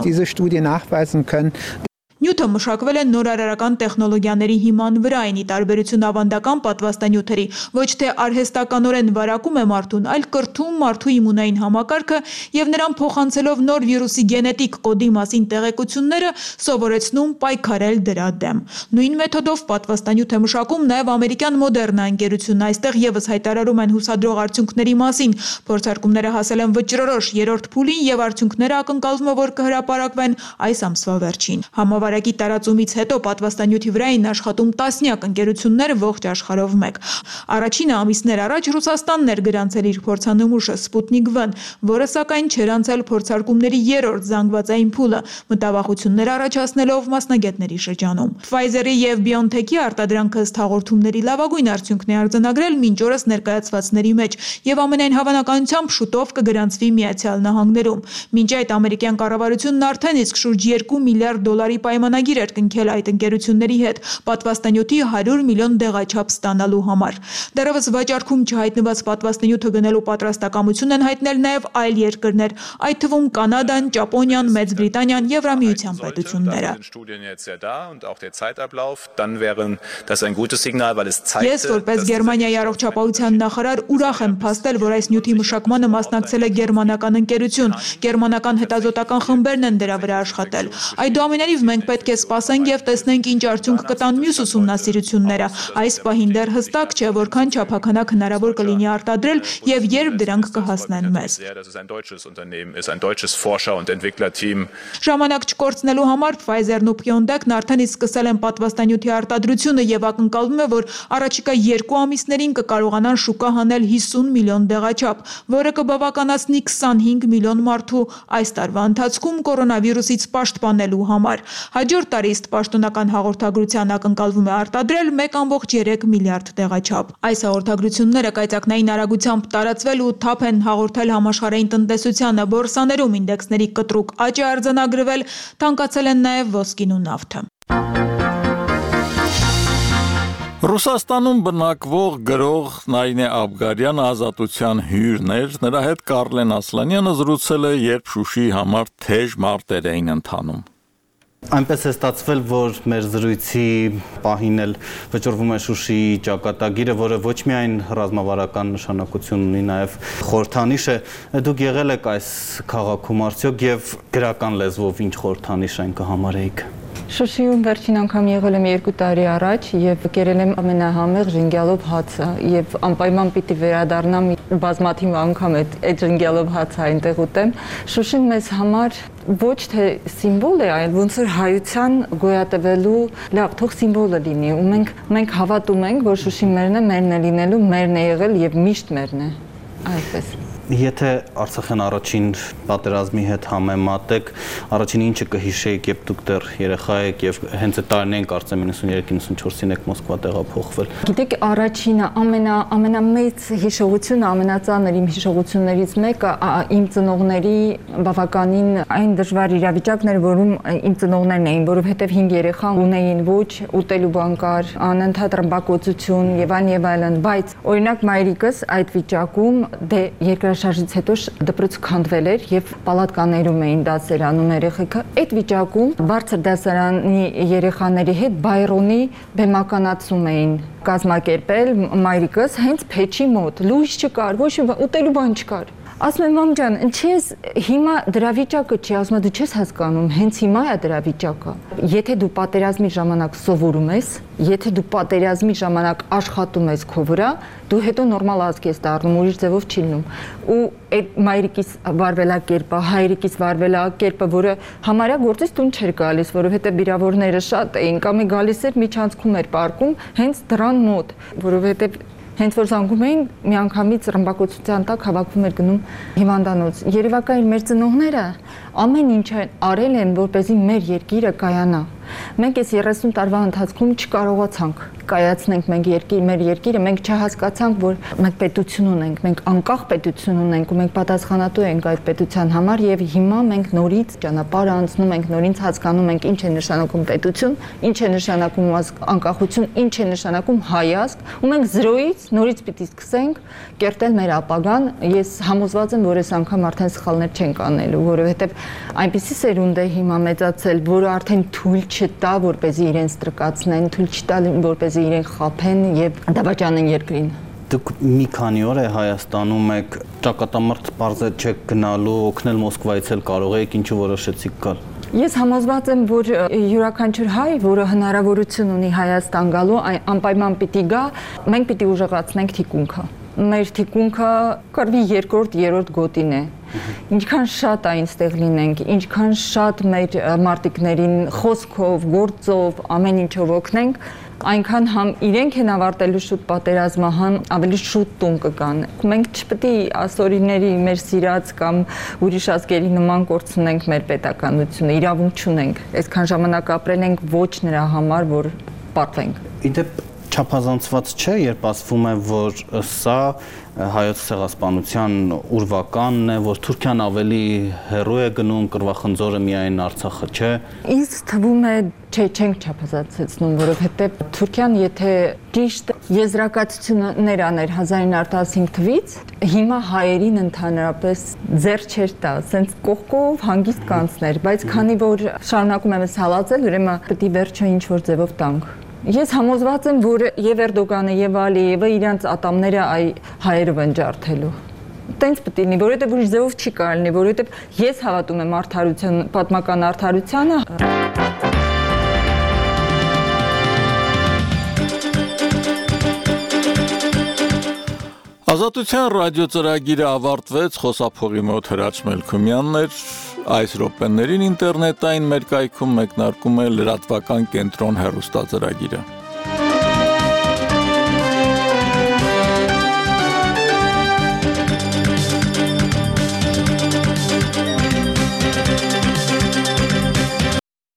Նյութը մշակվել է նորարարական տեխնոլոգիաների հիման վրա, այնի տարբերություն ավանդական պատվաստանյութերի, ոչ թե արհեստականորեն վարակում է մարդուն, այլ կրթում մարդու իմունային համակարգը եւ նրան փոխանցելով նոր վիրուսի գենետիկ կոդի մասին տեղեկությունները սովորեցնում պայքարել դրա դեմ։ Նույն մեթոդով պատվաստանյութ է մշակում նաև ամերիկյան Moderna ընկերությունն, այստեղ եւս հայտարարում են հուսադրող արդյունքների մասին։ Փորձարկումները հասել են վճռորոշ երրորդ փուլին եւ արդյունքները ակնկալվում է, որ կհրապարակվեն այս ամսվա վերջին։ Համավարակի տարածումից հետո պատվաստանյութի վրա էին աշխատում տասնյակ ընկերություններ ողջ աշխարհով մեկ։ Առաջինը ամիսներ առաջ Ռուսաստանն էր գրանցել իր փորձանմուշը Sputnik V, որը սակայն չէր անցել փորձարկումների երրորդ զանգվածային փուլը, մտավախություններ առաջացնելով մասնագետների շրջանում։ Pfizer-ի եւ BioNTech-ի արտադրանքը ըստ հաղորդումների լավագույն արդյունքն է արձանագրել մինչ օրս ներկայացվածների մեջ եւ ամենայն հավանականությամբ շուտով կգրանցվի Միացյալ Նահանգներում։ Մինչ այդ ամերիկյան կառավարությունն արդեն իսկ շուրջ երկու միլիարդ դոլարի պայմանագիր էր կնքել այդ ընկերությունների հետ պատվաստանյութի հարյուր միլիոն դեղաչափ ստանալու համար։ Դեռևս վաճառքում չհայտնված պատվաստանյութը գնելու պատրաստակամություն են հայտնել նաև այլ երկրներ, այդ թվում Կանադան, Ճապոնիան, Մեծ Բրիտանիան, Եվրամիության պետությունները։ Ես որպես Գերմանիայի առողջապահության նախարար ուրախ եմ փաստել, որ այս նյութի մշակմանը մասնակցել է գերմանական ընկերություն, գերմանական հետազոտական խմբերն են դրա վրա աշխատել։ Այդուամենայնիվ մենք պետք է սպասենք եւ տեսնենք ինչ արդյունք կտան մյուս ուսումնասիրությունները։ Այս պահին դեռ հստակ չէ, որքան չափականակ հնարավոր կլինի արտադրել եւ երբ դրանք կհասնեն մեզ։ Ժամանակ չկորցնելու համար Pfizer-ն ու BioNTech-ն արդեն իսկ սկսել են պատվաստանյութի արտադրությունը եւ ակնկալվում է, որ առաջիկա երկու ամիսներին կկարողանան շուկա հանել հիսուն միլիոն դեղաչափ, որը կբավականացնի քսանհինգ միլիոն մարդու այս տարվա ընթացքում կորոնավիրուսից պաշտպանելու համար։ Հաջորդ տարի ըստ պաշտոնական հաղորդագրության ակնկալվում է արտադրել մեկ կόμք երեք միլիարդ դեղաչափ։ Այս հաղորդագրությունները կայծակնային արագությամբ տարածվել ու թափ են հաղորդել համաշխարհային տնտեսությանը, բորսաներում ինդեքսների կտրուկ աճ է արձանագրվել, թանկացել են նաև ոսկին ու նավթը։ Ռուսաստանում բնակվող գրող Նարինե Աբգարյանը ազատության հյուրն էր, նրա հետ Կարլեն Ասլանյանը զրուցել է, երբ Շուշիի համար թեժ մարտեր էին ընթանում։ Այնպես է ստացվել, որ մեր զրույցի պահին էլ վճռվում է Շուշիի ճակատագիրը, որը ոչ միայն ռազմավարական նշանակություն ունի, նաև խորհրդանիշ է։ Դուք եղել եք այս քաղաքում արդյոք եւ գրական լեզվով ինչ խորհրդանիշ այն կհամարեիք։ Շուշիում վերջին անգամ եղել եմ երկու տարի առաջ եւ կերել եմ ամենահամեղ ժենգյալով հացը եւ անպայման պիտի վերադառնամ բազմաթիվ անգամ այդ այդ ժենգյալով հացը այնտեղ ուտեմ։ Շուշին մեզ համար ոչ թե սիմվոլ է, այլ ոնց որ հայության գոյատևելու լավ, թող սիմվոլը լինի ու մենք մենք հավատում ենք, որ Շուշին մերն է, մերն է լինելու, մերն է եղել եւ միշտ մերն է։ Այդպես։ Եթե Արցախյան առաջին պատերազմի հետ համեմատեք, առաջին ինչը կհիշեիք, երբ դուք դեռ երեխա եք եւ հենց այդ տարիներին կարծեմ նվնասուներեք նվնասունչորսին եք Մոսկվա տեղափոխվել։ Գիտեք, առաջինը ամենա ամենամեծ հիշողությունը, ամենածանր իմ հիշողություններից մեկը իմ ծնողների բավականին այն դժվար իրավիճակն էր, որում իմ ծնողներն էին, որովհետեւ հինգ երեխա ունեին, ոչ ուտելու բան կար, անընդհատ ռմբակոծություն եւ այլն եւ այլն, բայց օրինակ մայրիկս այդ վիճակում դե երկրաշարժ շարժից հետո դպրոց քանդվել էր եւ պալատկաներում էին դասերանում երեխեքը։ Այդ վիճակում բարձր դասարանի երեխաների հետ բայրոնի բեմականացում էին կազմակերպել մայրիկս հենց փեչի մոտ։ Լույս չկար, ոչ ուտելու բան չկար։ Ասում եմ մամ ջան, ինչես հիմա դրա վիճակը չի, ասում եմ դու չես հասկանում, հենց հիմա է դրա վիճակը։ Եթե դու պատերազմի ժամանակ սովորում ես, եթե դու պատերազմի ժամանակ աշխատում ես քո վրա, դու հետո նորմալ ազգ ես դառնում, ուրիշ ձևով չի լինում։ Ու այդ մայրիկիս վարվելակերպը, հայրիկիս վարվելակերպը, որը համարյա գործից տուն չէր գալիս, որովհետեւ վիրավորները շատ էին, կամ է գալիս էր միջանցքում էր պարկում հենց դրան մոտ, որովհետեւ հենց որ զանգում էին, միանգամից ռմբակոծության տակ հավաքվում էր գնում հիվանդանոց։ Երևակայր մեր ծնողները ամեն ինչ արել են, որպեսզի մեր երկիրը կայանա։ Մենք այս երեսուն տարվա ընթացքում չկարողացանք։ կայացնենք մենք երկիր, մեր երկիրը, մենք չհասկացանք, որ մենք պետություն ունենք, մենք անկախ պետություն ունենք ու մենք պատասխանատու ենք այդ պետության համար եւ հիմա մենք նորից ճանապարհ անցնում ենք, նորից հասկանում ենք ինչ է նշանակում պետություն, ինչ է նշանակում անկախություն, ինչ է նշանակում հայազգ, ու մենք զրոյից նորից պիտի սկսենք կերտել մեր ապագան։ Ես համոզված եմ, որ այս անգամ արդեն սխալներ չենք անելու, որովհետեւ այնպիսի սերունդ է հիմա մեծացել, որը արդեն թույլ չտա, որպեսզի իրենց տրկացնեն, թույլ չտա, որպեսզի իրենք խաբեն եւ դավաճանեն երկրին։ Դուք մի քանի օր է Հայաստանում եք, ճակատամարտ պարզե չեք գնալու, օգնել Մոսկվայից էլ կարող եք, ինչու որոշեցիք գալ։ Ես համոզված եմ, որ յուրաքանչյուր հայ, որը հնարավորություն ունի Հայաստան գալու, անպայման պիտի գա, մենք պիտի ուժեղացնենք թիկունքը։ Մեր թիկունքը կարելի երկրորդ, երրորդ գոտին է։ Ինչքան շատ այնտեղ լինենք, ինչքան շատ մեր մարտիկներին խոսքով, գործով, ամեն ինչով օգնենք, այնքան համ իրենք են ավարտելու շուտ պատերազմը, համ ավելի շուտ տուն կգան։ Մենք չպետք է ասորիների մեր սիրած կամ ուրիշ ազգերի նման կորցնենք մեր պետականությունը, իրավունք չունենք։ Այսքան ժամանակ ապրել ենք ոչ նրա համար, որ պարտվենք։ Իդեպ չափազանցված չէ, երբ ասվում է, որ սա հայոց ցեղասպանության ուրվականն է, որ Թուրքիան ավելի հեռու է գնում, կռվախնձորը միայն Արցախը չէ։ Ինձ թվում է, չէ, չենք չափազանցեցնում, որովհետև Թուրքիան, եթե ճիշտ եզրակացություններ աներ հազար ինը հարյուր տասնհինգ թվականից, հիմա հայերին ընդհանրապես ձեռ չէր տա, ասենց կողքով հանգիստ կանցներ, բայց քանի որ շարունակում եմ հալածել, ուրեմն պետք է վերջը ինչ որ ձևով տանք։ Ես համոզված եմ, որ եւ Էրդողանը եւ Ալիևը իրանց ատամները այ հայերը վնջարդելու։ Տենց պետք է լինի, որովհետեւ ուրիշ ձևով չի կարելի, որովհետեւ ես հավատում եմ արդարության, պատմական արդարությանը։ Ազատության ռադիոծրագիրը ավարտվեց, խոսափողի մոտ Հրաչ Մելքումյանն էր, այս րոպեներին ինտերնետային մեր կայքում մեկնարկում է լրատվական կենտրոն հեռուստածրագիրը։